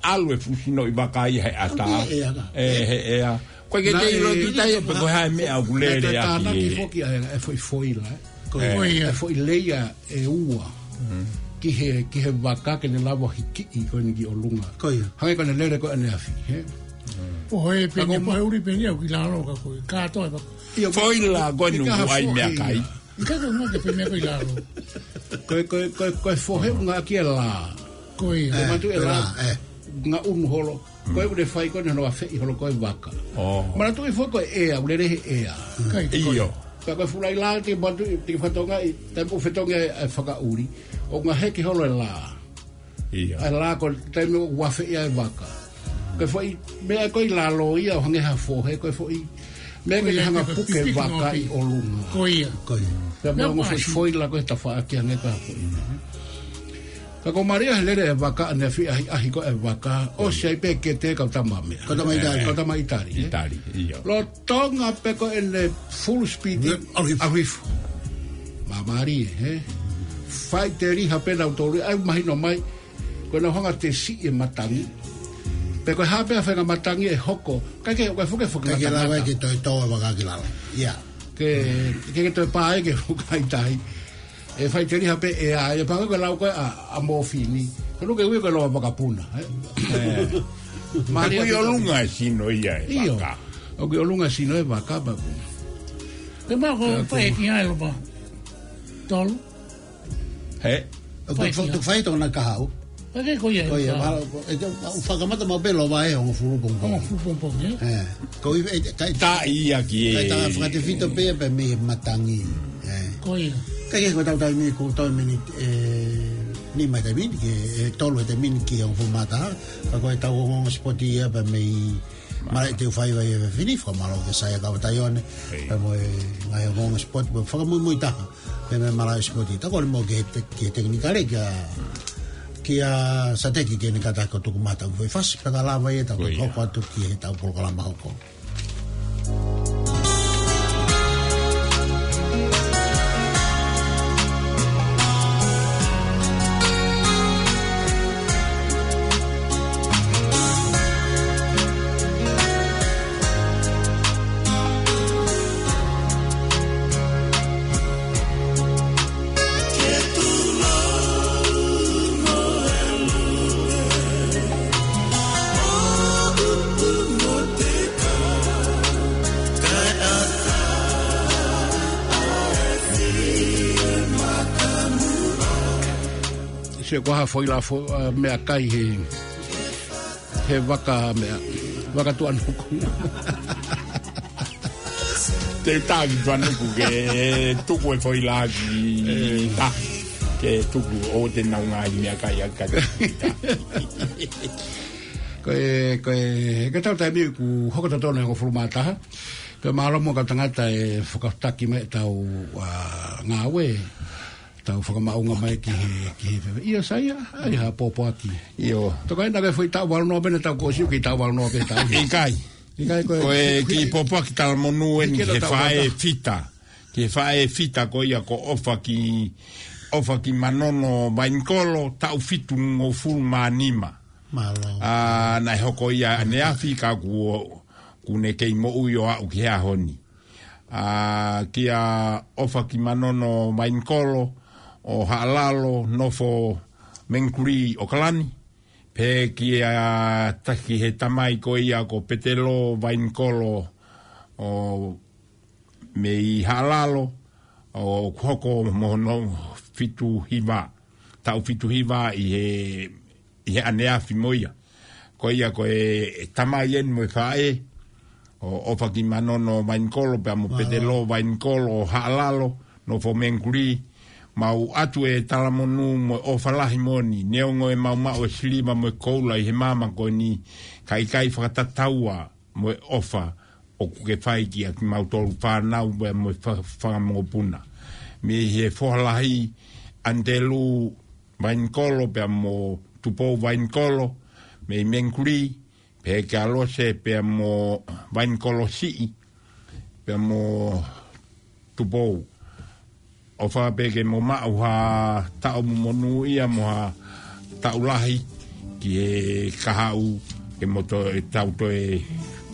ʻalu e fuʻu sinoʻi vaka ia he ʻatā. ʻAlu ia he ʻea ka. ʻE, he ʻea. Ko e ke Naʻe te ʻilo ki tai e pe ko e hā e meʻa ʻoku naʻe lele ʻaki tānaki e. foki ʻa e, e foʻi foila, ē. Ko E. ia. E foʻi leia ʻe ua. Mm. Ki he, ki he vaka ke ne lava hikiʻi ko eni ki ʻolunga. Ko ia. Hangē ko ʻene lele ko ʻaneafi, he? Mm. Pohe Ka peni, ko ma- pohe ʻuli peni au ki lalo ka ko e. Kātoa e vaka. ʻIo, Foila ko eni ʻikai ha ʻoku ʻai foʻi meʻakai. ia. Ka ko e ngā ke pē meʻa ko i lalo. Ko e, ko e, ko e, ko e fohe ʻoku ngāueʻaki e lā. Ko ia. Ko e matu e E, lā. lā, e. Ngaʻunu holo. Ko e Mm. ʻoku ne fai ko eni hono afeʻi holo ko e vaka. Oh. Manatuʻi foki ko e ʻea, ʻoku lele he ʻea. Kai. ʻIo. Ka ko e fuʻu laʻi lā te matu, te fatongia ʻi, te pu fetongia e fakaʻuli. ʻOku ngaahi heke holo e lā. ʻIo. ʻA e lā ko e taimi ʻoku afeʻi ai e vaka. Ko e foʻi, meʻa ko i lalo ia ʻo hangē ha fohe, ko e foʻi, meʻa Ko ke ia hanga ke puke pipiki vaka noa ʻi ʻolunga. Ko ia. Ko ia. Pea Nā meʻa mo foʻi ʻasi. foila ko e tafaʻaki hangē ko ha foʻi. Ka ko Maria he lele e vaka, ne fie ʻahiʻahi ko e vaka, ʻosi ai pē kete kau tama meʻa. Kau tama ʻItali. Kau tama ʻItali, ē? ʻItali, ʻio. Lolotonga pē ko ʻene full speed, ʻalu hifo. ʻAlu hifo. Mā Maria, ē? Faʻiteliha pē nautolu, ʻai mahino mai, ko ʻenau hanga ʻo tesiʻi e matangi. Pe ko e hā pē ha faʻahinga matangi ʻe hoko. ʻIkai ke, ʻikai ke fuke fuke ʻIkai ke lava matangi. Ke toe tō e vaka ki lalo. ʻIa. Ke, ke, ke toe pā ai ke fuka ʻi tahi. ʻE faʻiteliha pē ʻe ʻai, ʻe pehē ko e lau ko ē ʻa, ʻa Mōfini. Ko ʻene ui ko e lau ʻa Vakapuna, ē? ʻE. Maria ʻoku ʻi ʻolunga e sino ia e vaka. ʻIo. ʻOku ʻi ʻolunga e sino e vaka, Vakapuna. Ke mā ko e fai e kia e lopa. Tolu. He? ʻOku fai e kia. Fai tōna kahaʻu. Ko ia, ko ia, mahalo, ʻe, ʻe, ʻe, fakamata maʻu pē lova ʻe hongofulu pongipongi. Hongofulu pongipongi, ē? ʻE. Ko ia, ʻe, kai, taʻi ia ki he, kai tā fakatefito pē pē mei he matangi. ʻE. Ko ia. Kai ke ko ʻetau taimi ko e taimi ni, ʻe, nima he taimi ni, ki he, ʻe, tolu he taimi ni ki he hongofulu mā taha. Ka ko ʻetau ongoongo sipoti ia pē mei malaʻe teufaiva ʻi he efiafi ni, fakamālō ki he sai ʻa Kava Taione. ʻEi. Pea mo e ngaahi ongoongo sipoti, mo e fakamuimui taha. Pea mo e malaʻe sipoti. Tau kole mo ki he te-, ki he tekinikale kia, kia Sateki ke ne kātaki ʻo tuku mai ʻetau foʻi fasi, pea ka lava ia tau hoko atu ki heʻetau polokalama hoko. Sio ko ha foʻi la fo-, ʻa, meʻakai he, he vaka meʻa, vaka Tuʻanuku. Te taki Tuʻanuku ke tuku e foʻi la ki, ʻe, ta, ke tuku ʻo te nau ngaahi meʻakai ʻa ka. Ko e, ko e, ko ʻetau taimi kuo hoko totonu e hongofulu mā taha. Pea mālō muʻa kau tangata ʻe fakataki mai ʻetau, ʻa, ngāue. Tau fakamaʻunga mai ki he, ki he fefeka. ʻIo, sai ia, ʻai ha pōpoaki. ʻIo. Toka ina ke foʻi taʻu valu noa pē naʻa tau ko siu ki he taʻu valu noa pē taʻu. ʻIkai. ʻIkai ko e, ko e kiʻi pōpoaki talamonū eni ki he faʻē fita. Ki he faʻē fita ko ia ko ʻOfaki, ʻOfakimanono Vainikolo, taʻu fitungofulu mā nima. Mālō. ʻA, naʻe hoko ia ʻaneafi ka kuo, kuo ne kei moʻui ʻo aʻu ki he ʻaho ni. ʻA, kia ʻOfakimanono Vainikolo ʻo Haʻalalo, nofo Mengkuli ʻAokalani. Pea kia taki he tamai ko ia ko Petelo Vainikolo ʻo mei Haʻalalo, ʻoku hoko mo hono fitu hiva, taʻu fitu hiva ʻi he, ʻi he ʻaneafi mo ia. Ko ia ko e, e tamai eni mo e faʻē, ʻo, ʻOfakimanono Vainikolo, pea mo Petelo Vainikolo ʻo Haʻalalo, nofo Mengkuli, mau ʻatu e talamonū mo e ʻofa lahi moʻoni, neongo ʻemau maʻu e siliva mo e koula ʻi he māmani ko eni, ka ʻikai fakatataua mo e ʻofa ʻoku ke fai kia kimautolu fānau pea mo e fa-, fanga mokopuna. Mei he foha lahi ʻAnitelū Vainikolo pea mo Tupou Vainikolo, mei Mengkuli, pea kia Lose pea mo Vainikolo Siʻi, pea mo Tupou. ʻOfa pē ke mo maʻu ha taʻu monūʻia mo ha taʻu lahi ki he kahaʻu ke mo toe, tau toe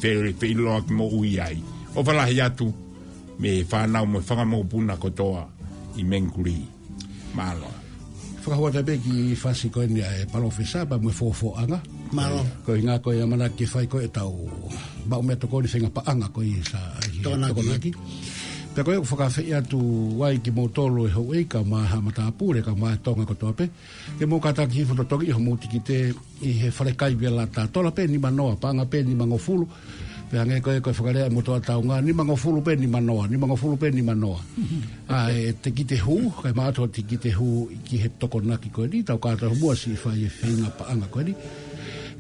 fele, feʻiloaki moʻui ai. ʻOfa lahi atu mei he fānau mo e fanga mokopuna kotoa ʻi Mengkuli. Mālō. Fakahoa atu pē kiʻi fasi ko eni ʻa e palōfesa pea mo e Fofoʻanga. Mālō. Ko e ʻuhinga ko e ʻamanaki ke fai ko ʻetau maʻu meʻatokoni feinga paʻanga ko ia sa ʻi he Tokonaki. Tokonaki. Pea ko ia ʻoku fakaafeʻi atu ai kimoutolu e houʻeiki kae ʻumaʻā haʻa matāpule kae ʻumaʻā e Tonga kotoa pē. Ke mou kātaki hifo totongi ʻi hoʻomou tikite ʻi he fale kai Vela Tatola pē nimanoa, paʻanga pē nimangofulu. Pea hangē ko e, ko e fakalea ʻa e motuʻa taunga, nimangofulu pē nimanoa, nimangofulu pē nimanoa. ʻA e tikite hū, kae ʻumaʻā ʻa e tikite hū ki he Tokonaki ko eni, tau kātaki muʻa siʻi fai e feinga paʻanga ko eni.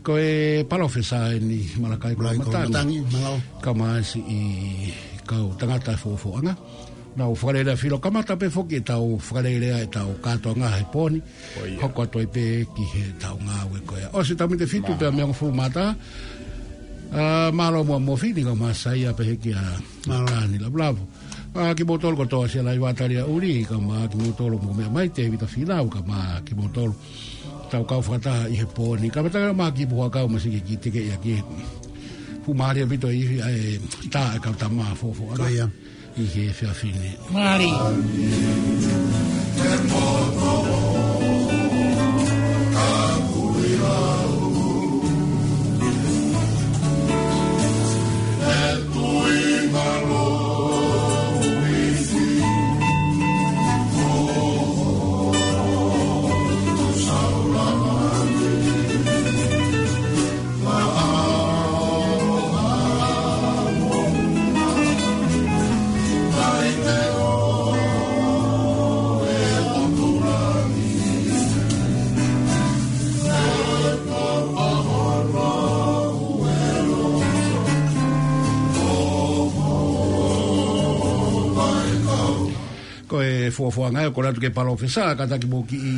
Ko e palōfesa eni Malakai Malakai Koloamatangi. Koloamatangi, mālō. Kae ʻumaʻā siʻi kau tangata Fofoʻanga. Nau fakalelea filo kamata pē foki ʻetau fakalelea ʻetau kātoanga he pō ni. Hoko atu ai pē ki heʻetau ngāue ko ia. ʻOsi ʻetau miniti ʻe fitu pea mei he hongofulu mā taha. Ā, mālō muʻa Mofini kae ʻumaʻā Saia pehē kia Mālō. Tani Lavulavu. Ā, kimoutolu kotoa Sialaiva Talia Uli, kae ʻumaʻā kimoutolu mo meʻa mai Tēvita Finau, kae ʻumaʻā kimoutolu tau kau fakataha ʻi he pō ni. Kae ʻumaʻā ki Puhakau Masiki ki Teke ia ki. Fuʻu mālie ʻaupito ʻi he, ʻa e tā e kau tama fōfō ʻana. Ko ia. ʻI he efiafi ni. Mālie. Ko e fuofua ngaahi ʻo kole atu ki he palōfesa, kātaki mo kiʻi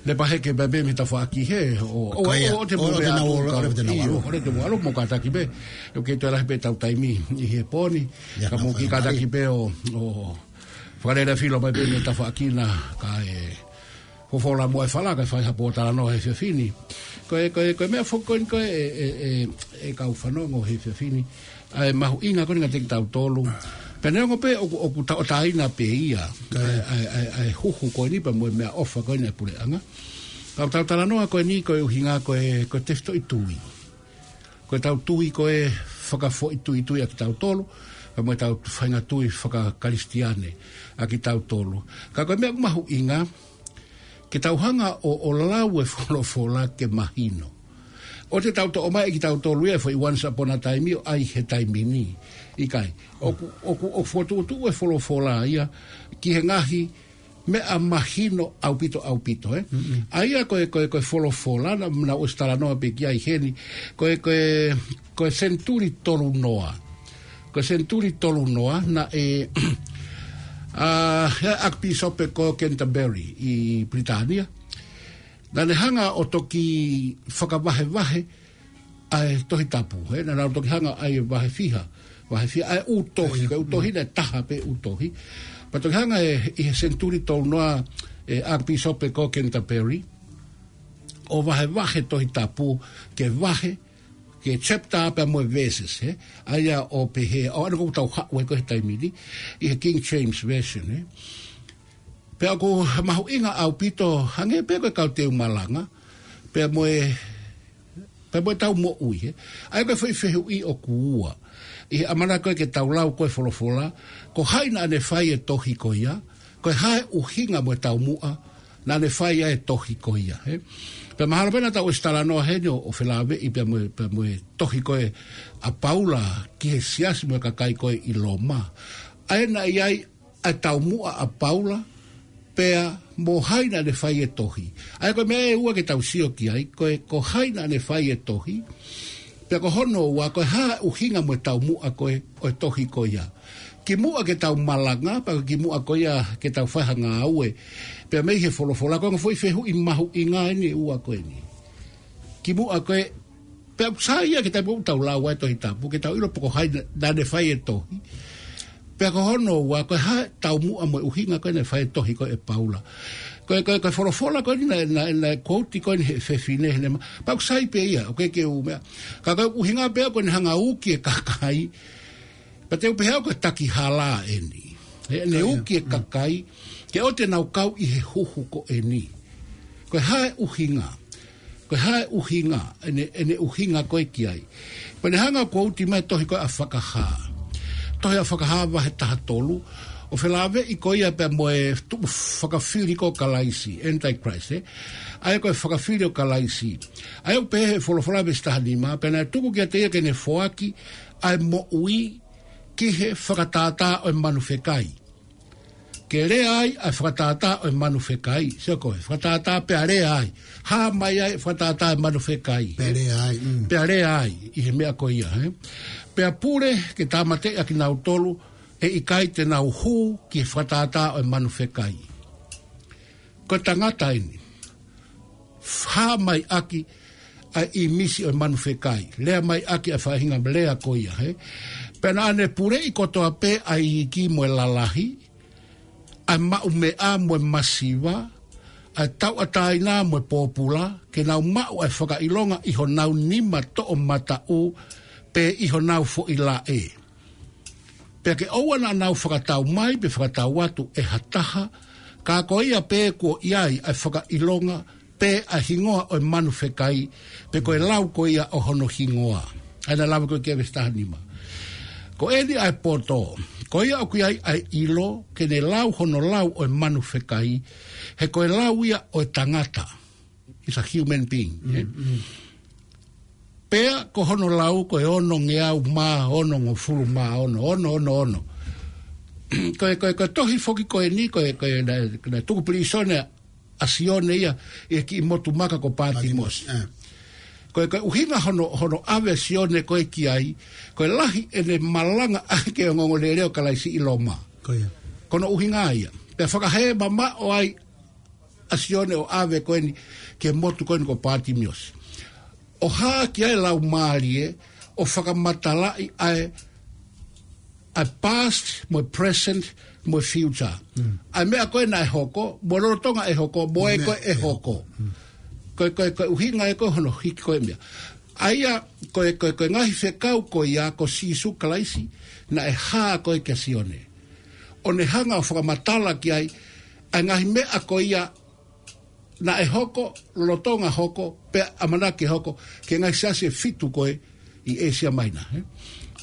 lepa heke pē mei he tafaʻaki he, ʻo, ʻo, ʻo, ʻo te mo ʻo te nau ʻalu, ʻo te nau ʻalu. ʻIo, ʻo te mo ʻalu mo kātaki pē. ʻOku kei toe lahi pē ʻetau taimi ʻi he pō ni. Ia, ka mo kiʻi kātaki pē ʻo, ʻo fakalelea filo mai pē mei he tafaʻaki na kae fōfō la mo e fala kae fai ha pōtalanoa he efiafi ni. Ko e, ko e, ko e meʻa foki ko eni ko e, e, e, e, e kau fanongo he efiafi ni. ʻA e mahuʻinga ko eni kiate kitautolu. Pea neongo pē ʻoku, ʻoku tauʻatāina pē ia. ʻA e, ʻa e, ʻa e, ʻa e huhu ko eni pea mo e meʻaʻofa ko eni ʻa e puleʻanga. Ka ʻoku tau talanoa ko eni ko e ʻuhinga ko e, ko e tefitoʻi tui. Ko ʻetau tui ko e fakafoʻituitui ʻa kitautolu, pea mo ʻetau faʻahinga tui fakakalisitiane ʻa kitautolu. Ka ko e meʻa ʻoku mahuʻinga, ke tau hanga ʻo, ʻo lau e folofola ke mahino. ʻOua te tau toʻo mai ʻe kitautolu ia e foʻi once upon a time ʻo ʻai he taimi ni. ʻIkai. ʻOku, ʻoku, ʻoku fokotuʻutuʻu e folofola ia ki he ngaahi meʻa mahino ʻaupito, ʻaupito, ē? ʻA ia ko e, ko e, ko e folofola, naʻa, naʻa ku ʻosi talanoa pē ki ai heni, ko e, ko e, ko e senituli tolu noa. Ko e senituli tolu noa, naʻe, ā, he ʻakipīsope ko Canterbury ʻi Pilitānia. Naʻa ne hanga ʻo toki fakavahevahe ʻa e Tohi Tapu, he naʻa nau toki hanga ʻa e vahe fiha, vahe fiha, ʻa e ʻū tohi, ko e ʻū tohi naʻe taha pē ʻū tohi. Pea toki hanga ʻe, ʻi he senituli tolu noa e ʻakipīsope ko Canterbury, ʻo vahevahe Tohi Tapu ke vahe, ke chapter pea mo e verses, he? ʻA ia ʻo pehē, ʻo ʻana ʻoku tau haʻu ai ko e he taimi ni, ʻi he King James Version, he? Pea ʻoku mahuʻinga ʻaupito, hangē pē ko e kau teu malanga, pea mo e pea mo ʻetau moʻui, he. ʻA ia ko e foʻi fehuʻi ʻoku ua. ʻI he ʻamanaki ko ē ke tau lau ko e folofola, ko hai naʻa ne fai e tohi ko ia, ko e hā e ʻuhinga mo e taumuʻa, naʻa ne fai ai e tohi ko ia, he. Pea mahalo pē naʻa tau ʻosi talanoa heni ʻo, ʻo felāveʻi pea mo e, pea mo e tohi ko ē ʻa Paula ki he siasi mo e kakai ko ē ʻi Loma. ʻA ia naʻe ʻi ai ʻa e taumuʻa ʻa Paula, pea mo hai naʻa ne fai e tohi. ʻA ia ko e meʻa ʻe ua ke tau sio ki ai, ko e, ko hai naʻa ne fai e tohi, pea ko hono ua, ko e hā e ʻuhinga mo e taumuʻa ko ē ʻo e tohi ko ia. Kimuʻa ke tau malanga, pea kimuʻa ko ia ke tau fai ha ngāue, pea mei he folofola, ko e ongo foʻi fehuʻi mahuʻinga eni ʻe ua ko eni. Kimuʻa ko ē, pea ʻoku sai ia ke tau, ʻoku tau lau ai Tohi Tapu, ke tau ʻilo pe ko hai naʻa ne fai e tohi. Pea ko hono ua, ko e hā e taumuʻa mo e ʻuhinga ko ē naʻe fai e tohi ko ē ʻe Paula. Ko e, ko e, ko e folofola ko eni naʻe, naʻe, naʻe quote ko eni he fefine, he ne ma-, pea ʻoku sai pē ia, ʻoku ʻikai ke u meʻa. Ka ko e ʻuhinga pē ia ko ʻene hanga ʻo uki e kakai, pea te u pehē au ko e taki hala eni. He ʻene uki e kakai, ke ʻoua te nau kau ʻi he huhu ko eni. Ko e hā e ʻuhinga. Ko e hā e ʻuhinga, ʻene, ʻene ʻuhinga ko ē ki ai. Pea ne hanga ʻo quote mai tohi ko ē ʻa Fakahā. Tohi ʻa Fakahā vahe taha tolu, ʻo felāveʻi ko ia pea mo e tuʻu fakafili ko Kalaisi, Antichrist, he? ʻA ia ko e fakafili ʻo Kalaisi. ʻA ia ʻoku pehē he folofola veesi taha nima, pea naʻe tuku kiate ia ke ne foaki ʻa e moʻui ki he fakatātā ʻo e manu fekai. Ke lea ai ʻa e fakatātā ʻo e manu fekai. Sio ko e fakatātā pea lea ai. Hā mai ai e fakatātā ʻo e manu fekai. Pea lea ai, mm. Pea lea ai, ʻi he meʻa ko ia, he? Pea pule ke tāmateʻi ʻa kinautolu ʻe ʻikai te nau hū ki he fakatātā ʻo e manu fekai. Ko e tangata eni. Hā mai ʻaki ʻa e ʻīmisi ʻo e manu fekai. Lea mai ʻaki ʻa e faʻahinga lea ko ia, hē. Pea naʻa ne puleʻi kotoa pē ʻa e iiki mo e lalahi, ʻa e maʻumeʻa mo e masiva, ʻa e tauʻatāina mo e pōpula, ke nau maʻu ʻa e fakaʻilonga ʻi honau nima toʻomataʻu, pe ʻi honau foʻi laʻe. Pea ke ʻoua naʻa nau fakatau mai, pe fakatau atu ʻe ha taha, ka ko ia pē kuo ʻi ai ʻa e fakaʻilonga, pe ʻa e hingoa ʻo e manu fekai, pe ko e lau ko ia ʻo hono hingoa. ʻA ia naʻe lave ko ē ki he veesi taha nima. Ko eni ʻa e poto, ko ia ʻoku ʻi ai ʻa e ʻilo, ke ne lau hono lau ʻo e manu fekai, he ko e lau ia ʻo e tangata. It's a human being, eh? Pea ko hono lau ko e ono ngeau mā ono ngofulu mā ono, ono, ono, ono. Ko e, ko e, ko e tohi foki ko eni, ko e, ko e, naʻe, naʻe tuku pilīsone ʻa Sione ia ʻi he kiʻi motu maka ko Pātimosi. Pātimosi, eh. Ko e, ko e ʻuhinga hono, hono ʻave ʻa Sione ko ē ki ai, ko e lahi ʻene malanga ʻaki e ongoongolelei ʻo Kalaisi ʻi Loma. Ko ia. Ko hono ʻuhinga ia. Pea fakahē mamaʻo ai ʻa Sione ʻo ʻave ko eni ki he motu ko eni ko Pātimiosi. ʻO hā ki ai e Laumālie, ʻo fakamatalaʻi ʻa e, ʻa e past, mo e present, mo e future. ʻA e meʻa ko ē naʻe hoko, mo e lolotonga ʻe hoko, mo e ko ē ʻe hoko. Ko e, ko e, ko e ʻuhinga ē ko ē hono hiki ko ē meʻa. ʻA ia, ko e, ko e, ko e ngaahi fekau ko ia, ko Sīsū Kalaisi, naʻe hā ko ē kia Sione. ʻO ne hanga ʻo fakamatala ki ai, ʻa e ngaahi meʻa ko ia, naʻe hoko, lolotonga hoko, pea ʻamanaki hoko, ki he ngaahi siasi ʻe fitu ko ē ʻi ʻĒsia Maina, eh?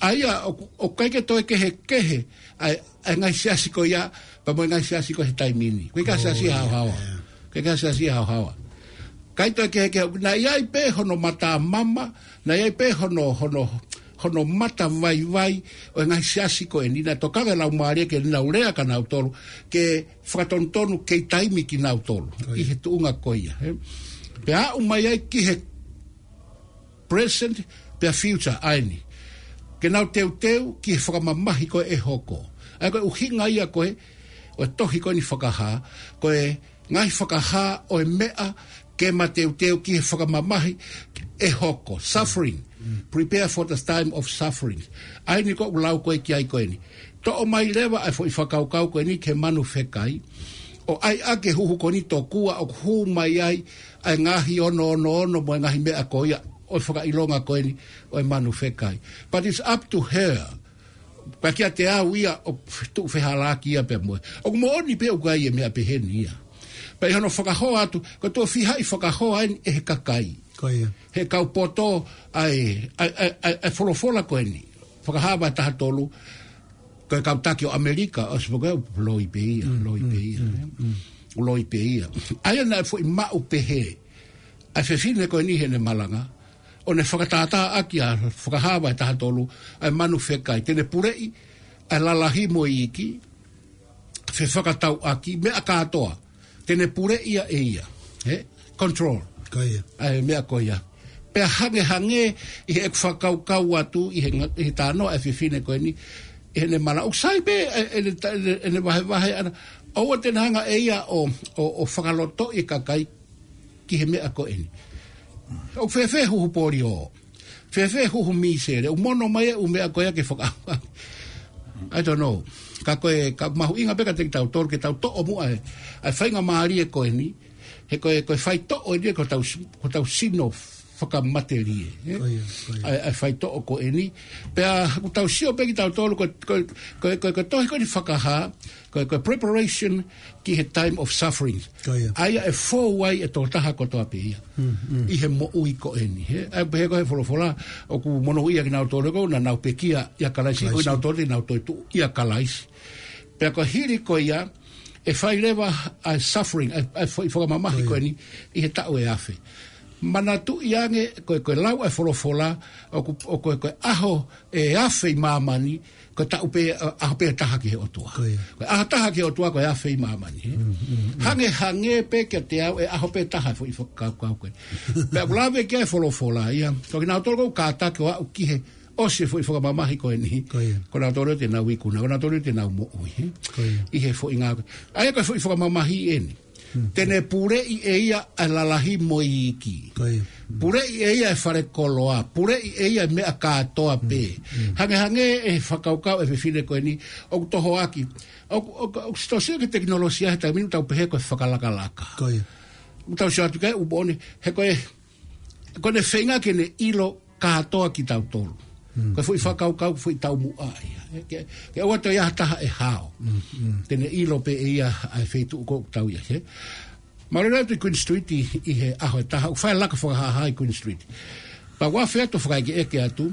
ʻA ia, ʻoku, ʻoku ʻikai ke toe kehekehe, ʻa e, ʻa e ngaahi siasi ko ia, pea mo e ngaahi siasi ko ē he taimi ni. ʻOku ʻikai siasi haohaoa. ʻOku ʻikai siasi haohaoa. ʻIkai toe kehekehe, naʻe ʻi ai pē hono matamama, naʻe ʻi ai pē hono, hono, hono matavaivai ʻo e ngaahi siasi ko eni, naʻe tokanga e Laumālie ke nau lea kia nautolu, ke fakatonutonu kei taimi kinautolu, ʻi he tuʻunga ko ia, eh? Pea aʻu mai ai ki he present, pea future, ʻa eni. Ke nau teuteu ki he fakamamahi ko ē ʻe hoko. ʻA ia ko e ʻuhinga ia ko ē, ʻo e tohi ko eni Fakahā, ko e ngaahi fakahā ʻo e meʻa ke ma teuteu ki he fakamamahi ʻe hoko. Suffering. Prepare for the time of suffering. ʻA eni ko ʻeku lau ko ē ki ai ko eni. Toʻo mai leva ʻa e foʻi fakakaukau ko eni ki he manu fekai. ʻO ʻai ʻaki e huhu ko eni tokua ʻoku hū mai ai ʻa e ngaahi ono ono ono mo e ngaahi meʻa ko ia ʻo e fakaʻilonga ko eni ʻo e manu fekai. But it's up to her. Pea kiate au ia ʻoku tuʻu fehālaaki ia pea mo ia. ʻOku moʻoni pē ʻoku ʻi ai e meʻa pehē ni ia. Pea ʻi hono fakahoa atu, ko e tuʻo fiha ʻi fakahoa eni ʻe he kakai. Ko ia. He kau poto ʻa e, ʻa e, ʻa e, ʻa e, ʻa e folofola ko eni. Fakahā vahe taha tolu, ko e kau taki ʻo ʻAmelika, ʻosi pē ko ē, loi pē ia, loi pē ia, eh. Loi pē ia. ʻA ia naʻe foʻi maʻu pehē ʻa e fefine ko eni heʻene malanga, ʻo ne fakatātā ʻaki ʻa Fakahā vahe taha tolu, ʻa e manu fekai, te ne puleʻi ʻa e lalahi mo e iiki, fefakatauʻaki, meʻa kātoa, te ne puleʻi ia ʻe ia, eh? Control. Ko ia. ʻA e meʻa ko ia. Pea hangehangē ʻi heʻeku fakakaukau atu, ʻi he nga-, ʻi he talanoa ʻa e fefine ko eni, ʻi heʻene malanga, ʻoku sai pē, ʻe, ʻene ta-, ʻene, ʻene vahevahe ʻana, ʻoua te ne hanga ʻe ia ʻo, ʻo, ʻo fakalotoʻi e kakai ki he meʻa ko eni. ʻOku fēfē huhu polio? Fēfē huhu mīsele? ʻOku mono mai e ʻū meʻa ko ia ke faka-, I don't know. Ka ko e, ka mahuʻinga pē kiate kitautolu ke tau toʻo muʻa e, ʻa e faingamālie ko eni. He ko e, ko e faitoʻo eni ko hotau s-, ko hotau sino fakamatelie, eh? Ko ia, ko ia. ʻA e, ʻa e faitoʻo ko eni. Pea ʻoku tau sio pē kitautolu ko, ko, ko, ko, ko e tohi ko eni Fakahā, ko, ko e preparation ki he time of suffering. Ko ia. ʻA ia ʻe fou ai e tokotaha kotoa pē ia. ʻI he moʻui ko eni, he? ʻA ia pehē ko e folofola, ʻoku monūʻia kinautolu ko ē naʻa nau pekia ʻia Kalaisi, ko kinautolu te nau toetuʻu ʻia Kalaisi. Pea ko e hili ko ia, ʻe fai leva ʻa e suffering, ʻa e, ʻa e fo-, fakamamahi ko eni, ʻi he taʻu ʻe afe. Manatuʻi ange, ko e, ko e lau ʻa e folofola, ʻoku, ʻo ko e, ko e ʻaho ʻe afe ʻi māmani, ko e taʻu pē, ʻa, ʻaho pē taha ki he ʻOtua. Ko ia. Ko e ʻaho taha ki he ʻOtua, ko e afe ʻi māmani, eh? Hangehangē pē kiate au, ʻe ʻaho pē taha foʻi fakakaukau ko ē. Pea ʻoku lave ki ai e folofola, ia. Ko kinautolu ʻoku kātaki ʻo aʻu ki he ʻOsi e foʻi fakamamahi ko eni. Ko ia. Ko nautolu te nau ikuna, ko nautolu te nau moʻui, ē? Ko ia. ʻI he foʻi ngā. ʻA ia ko e foʻi fakamamahi eni. Hmm. Te ne puleʻi ʻe ia ʻa e lalahi mo e iiki. Ko ia. Hmm. Puleʻi ʻe ia e fale koloa. Puleʻi ʻe ia e meʻa kātoa pē. Hmm. Hmm. Hangehangē e fakakaukau e fefine ko eni, ʻoku tohoaki. ʻOku, ʻoku, ʻoku sitosia ki he tekinolosia he taimi ni ʻoku tau pehē ko e fakalakalaka. Ko ia. ʻOku tau sio atu ki ai ʻoku moʻoni, he ko e, ko ʻene feinga ke ne ʻilo kātoa kitautolu. Mm. Ko e foʻi fakakaukau, foʻi taumuʻa ia. Ke, ke ʻoua toe ʻi ai ha taha ʻe hao. Mm, mm. Te ne ʻilo pē ʻe ia ʻa e feituʻu ʻoku tau ʻi ai, ē. Mālō atu ʻi Queen Street ʻi, ʻi he ʻaho ʻe taha, ʻoku fai e laka fakahāhā ʻi Queen Street. Pea ʻoku afe atu ʻo fakaʻekeʻeke atu,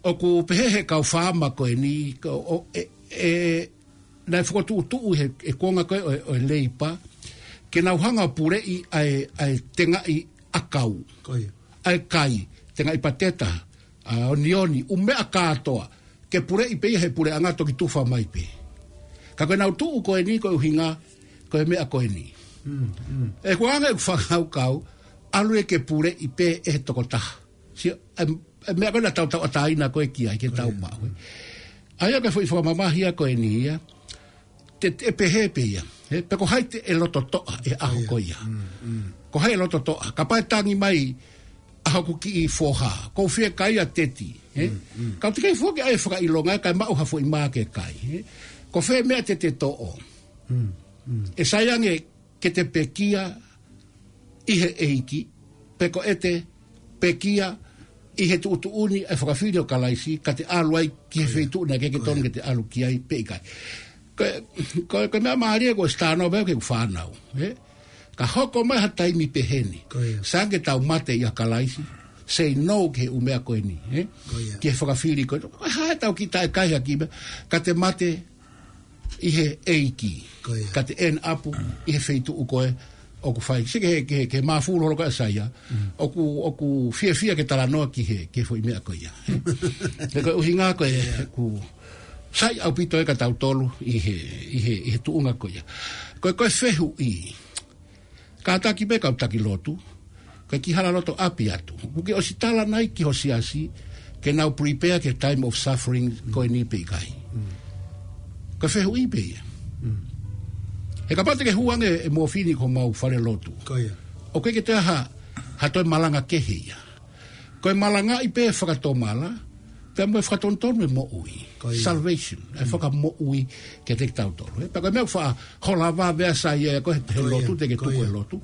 ʻoku pehē ʻe he kau faama ko eni, ko, ʻo, ʻe, ʻe, naʻe fokotuʻutuʻu he, he kuonga ko ē ʻo, ʻo e Leipa, ke nau hanga ʻo puleʻi ʻa e, ʻa e tengaʻi ʻakau. Ko ia. ʻA e kai, tengaʻi pateta, ʻa, onioni, ʻū meʻa kātoa, ke puleʻi pē ia he puleʻanga toki tufa mai pē. Ka ko ʻenau tuʻu ko eni ko e ʻuhinga, ko e meʻa ko eni. Mm, mm. ʻE kuanga ʻeku fakakaukau, ʻalu ē ke puleʻi pē ʻe he tokotaha. Sio, ʻa e, ʻa e meʻa ko ē naʻa tau tauʻatāina ko ē ki ai, ke tau maʻu, ē. ʻA ia ko e foʻi fakamamahi ia ko eni ia. Te, te pehē pē ia. Ē, pe ko hai te ʻe loto toʻa he ʻaho ko ia. Mm, mm. Ko hai ʻe loto toʻa. Kapau ʻe tangi mai ʻa hoku kiʻi foha. Ko u fiekaia teti. Ē? Mm, mm. Ka u teʻeki foki ʻai fakaʻilonga, kae maʻu ha foʻi mā ke kai. Ē? Ko fē meʻa te te toʻo. Mm, mm. ʻE sai ange ke te pekia ʻi he ʻEiki, pe ko ʻete pekia ʻi he tuʻutuʻuni ʻa e fakafili ʻo Kalaisi, ka te ʻalu ai ki he feituʻu naʻe ʻikai ke tonu ke te ʻalu ki ai pe ʻikai. Ko, ko, ko e meʻa mālie ko e stano pē ke fānau, ē? Ka hoko mai ha taimi peheni. Ko ia. Sai ange ke tau mate ʻia Kalaisi, say no ki he ʻū meʻa ko eni, ē? Ko ia. Ki he fakafili ko ē. Ko e hā ʻetau kiʻi taʻe kai ha kiʻi meʻa, ka te mate ʻi he ʻEiki. Ko ia. Ka te end up ʻi he feituʻu ko ē ʻoku fai. Sio ki he, ki he, ki he māfulu holo ko ē ʻa Saia. Mm. ʻOku, ʻoku fiefia ke talanoa ki he, ki he foʻi meʻa ko ia. He ko e ʻuhinga ko ē, ʻoku sai ʻaupito ē kia tautolu ʻi he, ʻi he, ʻi he tuʻunga ko ia. Ko e, ko e fehuʻi. Kātaki pē kau taki lotu, ko e kiʻi hala loto ʻapi atu. ʻOku ke ʻosi tala nai ki ho siasi, ke nau prepare ki he time of suffering ko eni pe ʻikai. Mm. Ko e fehuʻi pē ia. Mm. He kapau te ke hū ange e mōfini ki homau fale lotu. Ko ia. ʻOku ʻikai ke toe ha, ha toe malanga kehe ia. Ko e malangaʻi pē fakatomala, pea mo e fakatonutonu e moʻui. Ko ia. Salvation, e fakamoʻui kiate kitautolu. Ē, pea ko e meʻa ʻoku faʻa hola vave ʻa Saia ia ko e he lotu te ke tuku e lotu.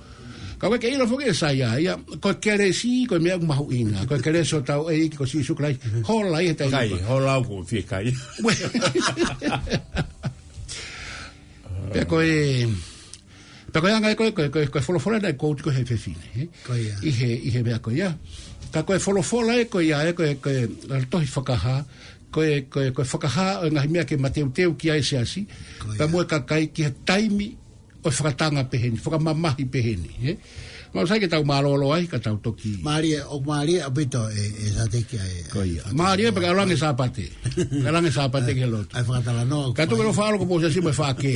Ka ʻoku ʻikai ke ʻilo foki ʻe Saia ia, ko e kelesi, ko e meʻa ʻoku mahuʻinga. Ko e kelesi ʻo hotau ʻEiki ko Sīsū Kalaisi. Hola ia he taimi ko ē. Kai, hola ʻoku ou fiekaia. Pea ko e, pea ko e anga ia ko e, ko e, ko e, ko e folofola naʻe quote ko ē he fefine, ē? Ko ia. ʻI he, ʻi he meʻa ko ia. Ka ko e folofola ē ko ia, ē ko e, ko e, ʻa e tohi Fakahā, ko e, ko e, ko e fakahā ʻo e ngaahi meʻa ke mateuteu ki ai e siasi, pea mo e kakai ki he taimi ʻo e fakatanga peheni, fakamamahi peheni, ē? Mau sai ke tau mālōlō ai, ka tau toki. Mālie, ʻoku mālie ʻaupito ē, ē Sateki ʻa e. Ko ia. Mālie pē ka ʻalu ange Sāpate. Ka ʻalu ange Sāpate ki he lotu. ʻA e fakatalanoa. Ka tuku ke ʻalu ʻo faʻa ʻalu ko e siasi mo e faʻa kē.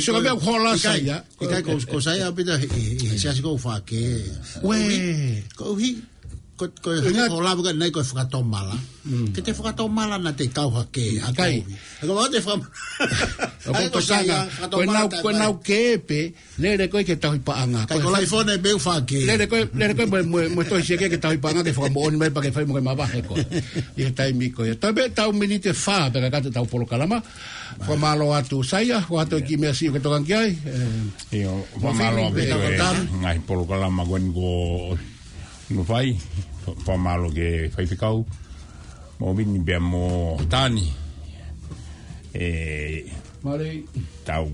Sio ka meʻa ʻoku hola ʻa Saia. ʻIkai ko, ko Saia ʻaupito ʻi, ʻi, ʻi he siasi ko e faʻa kē. Uē. Koeʻuhi, ko, ko e hangē ko e lave ko ē naʻe ko e fakatomala. Mm. Ke te fakatomala naʻa te kau hake, ʻikai. He ko e fakatomala. ʻOku ʻikai ko Saia, ko e nau, ko e nau kē pē, lele ko ē ki he tauhi paʻanga. ʻIkai ko e laifone pē ʻoku faʻa kē. Lele ko ē, lele ko ē mo, mo, mo e tohi siasi ki he tauhi paʻanga ke fakamoʻoni mai pea ke fai mo ke mavahe ko ē. ʻI he taimi ko ia. Tau pē tau miniti ʻe fā, pea ka kata ʻetau polokalama. Fakamālō atu Saia, ʻoatu e kiʻi meʻa siʻi ʻoku ke tokanga ki ai. ʻIo, fakamālō atu pē ki he ngaahi polokalama ko eni kuo nau fai, fakamālō ki he faifekau, mo Vini pea mo Tani. ʻE, tau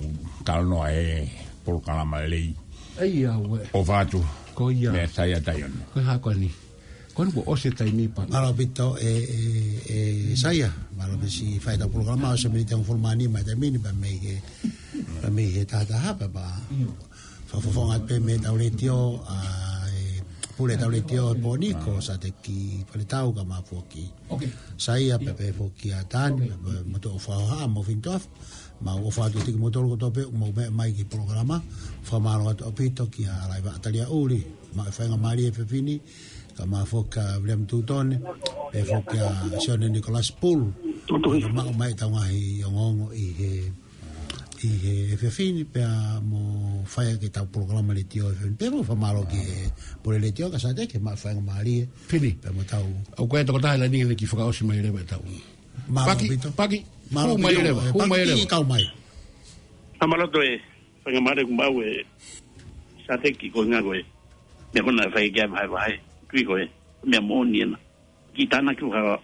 talanoa he polokalama lelei. ʻOfa atu. Ko ia. Meʻa Saia Taione. Ko e hā ko eni. Ko eni kuo ʻosi e taimi pea. Mālō ʻaupito ē, ē, ē Saia. Mālō pē siʻi fai ʻetau polokalama, ʻosi e miniti ʻe hongofulu mā nima he taimi ni, pea mei he, pea mei he taha taha, pea, pea fakafofonga pē mei heʻetau letiō, ʻa e pule ʻetau letiō he pō ni ko Sateki Faletau ka mau foki. Saia pea pehē foki ʻa Tani, pea mo e toʻo fakahoha mo Fintof, mau ʻofa atu kiate kimoutolu kotoa pē, mou meʻa mai ki he polokalama, fakamālō atu ʻaupito kia Laiva Atalia Uli. Maʻu e faingamālie he efiafi ni, kae ʻumaʻā foki ʻa William Tutone, pea foki ʻa Sione Nicholas Pool. Tutuhi. Kae ʻumaʻā mai ʻetau ngaahi ongoongo ʻi he, ʻi he efiafi ni, pea mo fai ʻaki ʻetau polokalama letiō he efiafi ni. Pea mo fakamālō ki he pule letiō, ka Sateki, maʻu e faingamālie. Fini. Pea mo tau. ʻOku ʻi ai e tokotaha ʻi he laine ke fakaʻosi mai leva ʻetau. Mālō Paki, ʻaupito. Paki, Mālō hū mai ʻaupito, leva, e, hū mai Paki, leva. Kiʻi kau mai. Fakamālō atu e faingamālie kuo maʻu ʻe Sateki, ko e ʻuhinga ko e meʻa ko ena naʻe fai ki ai e vahevahe. Tui ko e meʻa moʻoni ena. Kiʻi tānaki ʻo ha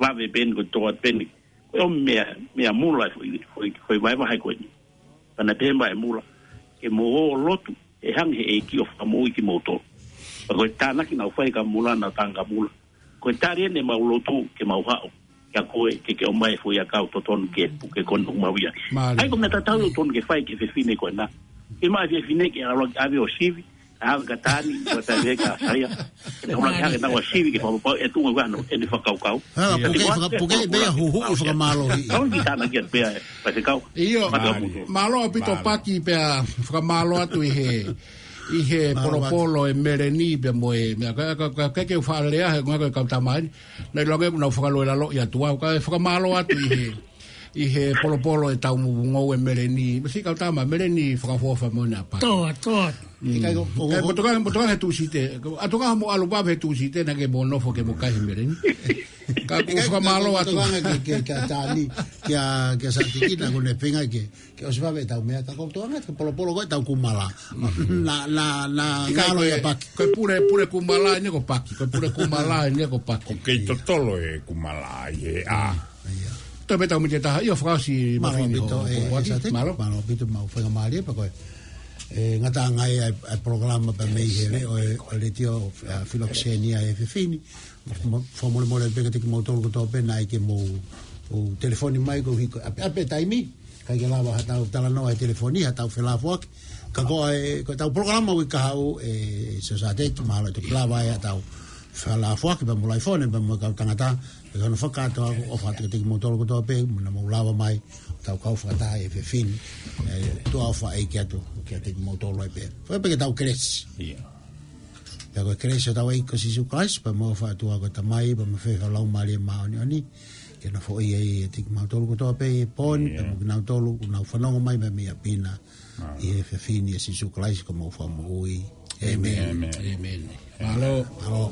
vave pē eni ko e tō atu pē eni. Ko e ʻū meʻa, meʻa mula foʻi, foʻi, foʻi vahevahe ko eni. Pea naʻe pehē mai e mula, ke mou ō ʻo lotu, ʻe hanga ʻe he ʻEiki ʻo fakamoʻui kimoutolu. Pea ko e tānaki naʻa ku fai kia Mula, naʻa ku tala kia Mula, ko e tali eni ʻemau lotu ke mau haʻu kia koe, ke ke ʻomai e foʻi ʻakau totonu ke puke ko eni ʻoku mau ʻi ai. Mālie. ʻA ia ko e meʻa tatau ʻoku totonu ke fai ki he fefine ko ena. Ke maʻu e fefine ke ʻalu ʻo ʻave ʻo sivi, ʻave kia Tani, ko e tali ē kia Saia. ʻE ʻomai hake naʻa ʻo sivi ke fakapapauʻi ʻe tuʻunga ʻa hono ʻene fakakaukau. Hala, puke, faka-, puke, pea huhuʻi fakamālohi. Kau ki tānaki atu pea, pea se kau. ʻIo, mālō ʻaupito Paki pea fakamālō atu ʻi he, ʻi he polopolo ʻe Meleni pea mo e, meʻa ka, ka, ka, ka ke fakalea he ngako e kau tamai. Naʻe ʻiloange ʻoku nau fakaloelaloʻi atu au, kae fakamālō atu ʻi he, ʻi he polopolo ʻetau ngou ʻe Meleni. Masi kau tama, Meleni fakaʻofoʻofa mo ʻene ʻapi. Toa, toa. Mm. ʻIkai ko, ko, ko, motoka, motoka he Tūsite. ʻAtu ka mo ʻalu vave he Tūsite, naʻa ke mo nofo ke mo kai he Meleni. Ka ʻoku fakamālō atu. Motoka ke, ke, ke Tani, kia, kia Sateki naʻa ku ne feinga ke, ke ʻosi vave ʻetau meʻa, ka ko e toʻonga ke polopolo ko ʻetau kumala. Na, na, na, ʻikai ngalo ko e, ia Paki. Ko e pule, pule kumala eni ko Paki. Ko e pule kumala eni ko Paki. ʻOku kei totolo e kumala ʻi he ʻā. ʻIo. Toe pē tau miti taha, ʻio fakaʻosi Mālō mafini ʻaupito, ho, e, ho e Sateki, mālō. Mālō ʻaupito, maʻu faingamālie pea ko e. E, ngataʻanga ia e, e polokalama pea mei he leʻo e, ʻo e letiō, a, Filokisenia he efiafi ni. Mo, mo, fakamolemole pē kiate kimoutolu kotoa pē naʻe ʻikai ke mou, ʻo telefoni mai ko hiko, ʻape, ʻape taimi. ʻIkai ke lava haʻatau talanoa he telefoni, haʻatau felāfoaki. Ka ko e, ko ʻetau polokalama ʻo e kahaʻu, e, Sio Sateki, mahalo ʻe toki lava ai haʻatau felāfoaki, pea mo Laifone, pea mo e kau tangata, pea ko hono fakakātoa, ʻofa atu kiate kimoutolu kotoa pē, mo naʻa mou lava mai, tau kau fakataha he efiafi ni, e, tuʻa ʻofa ʻa e ʻEiki atu, kiate kimoutolu ai pē. Fai pē ke tau kelesi. ʻIo. Pea ko e kelesi ʻa hotau ʻEiki ko Sīsū Kalaisi, pea mo e ʻofa ʻa e ʻOtua ko e Tamai, pea mo e feohi ʻa e Laumālie Māʻoniʻoni, ke nofoʻia ʻiate kimautolu kotoa pē he pō ni, pea mo kinautolu, ʻoku nau fanongo mai mei ʻapi na, ʻi he efiafi ni ʻia Sīsū Kalaisi ko homau Fakamoʻui. ʻĒmeni. ʻĒmeni. Mālō. Mālō.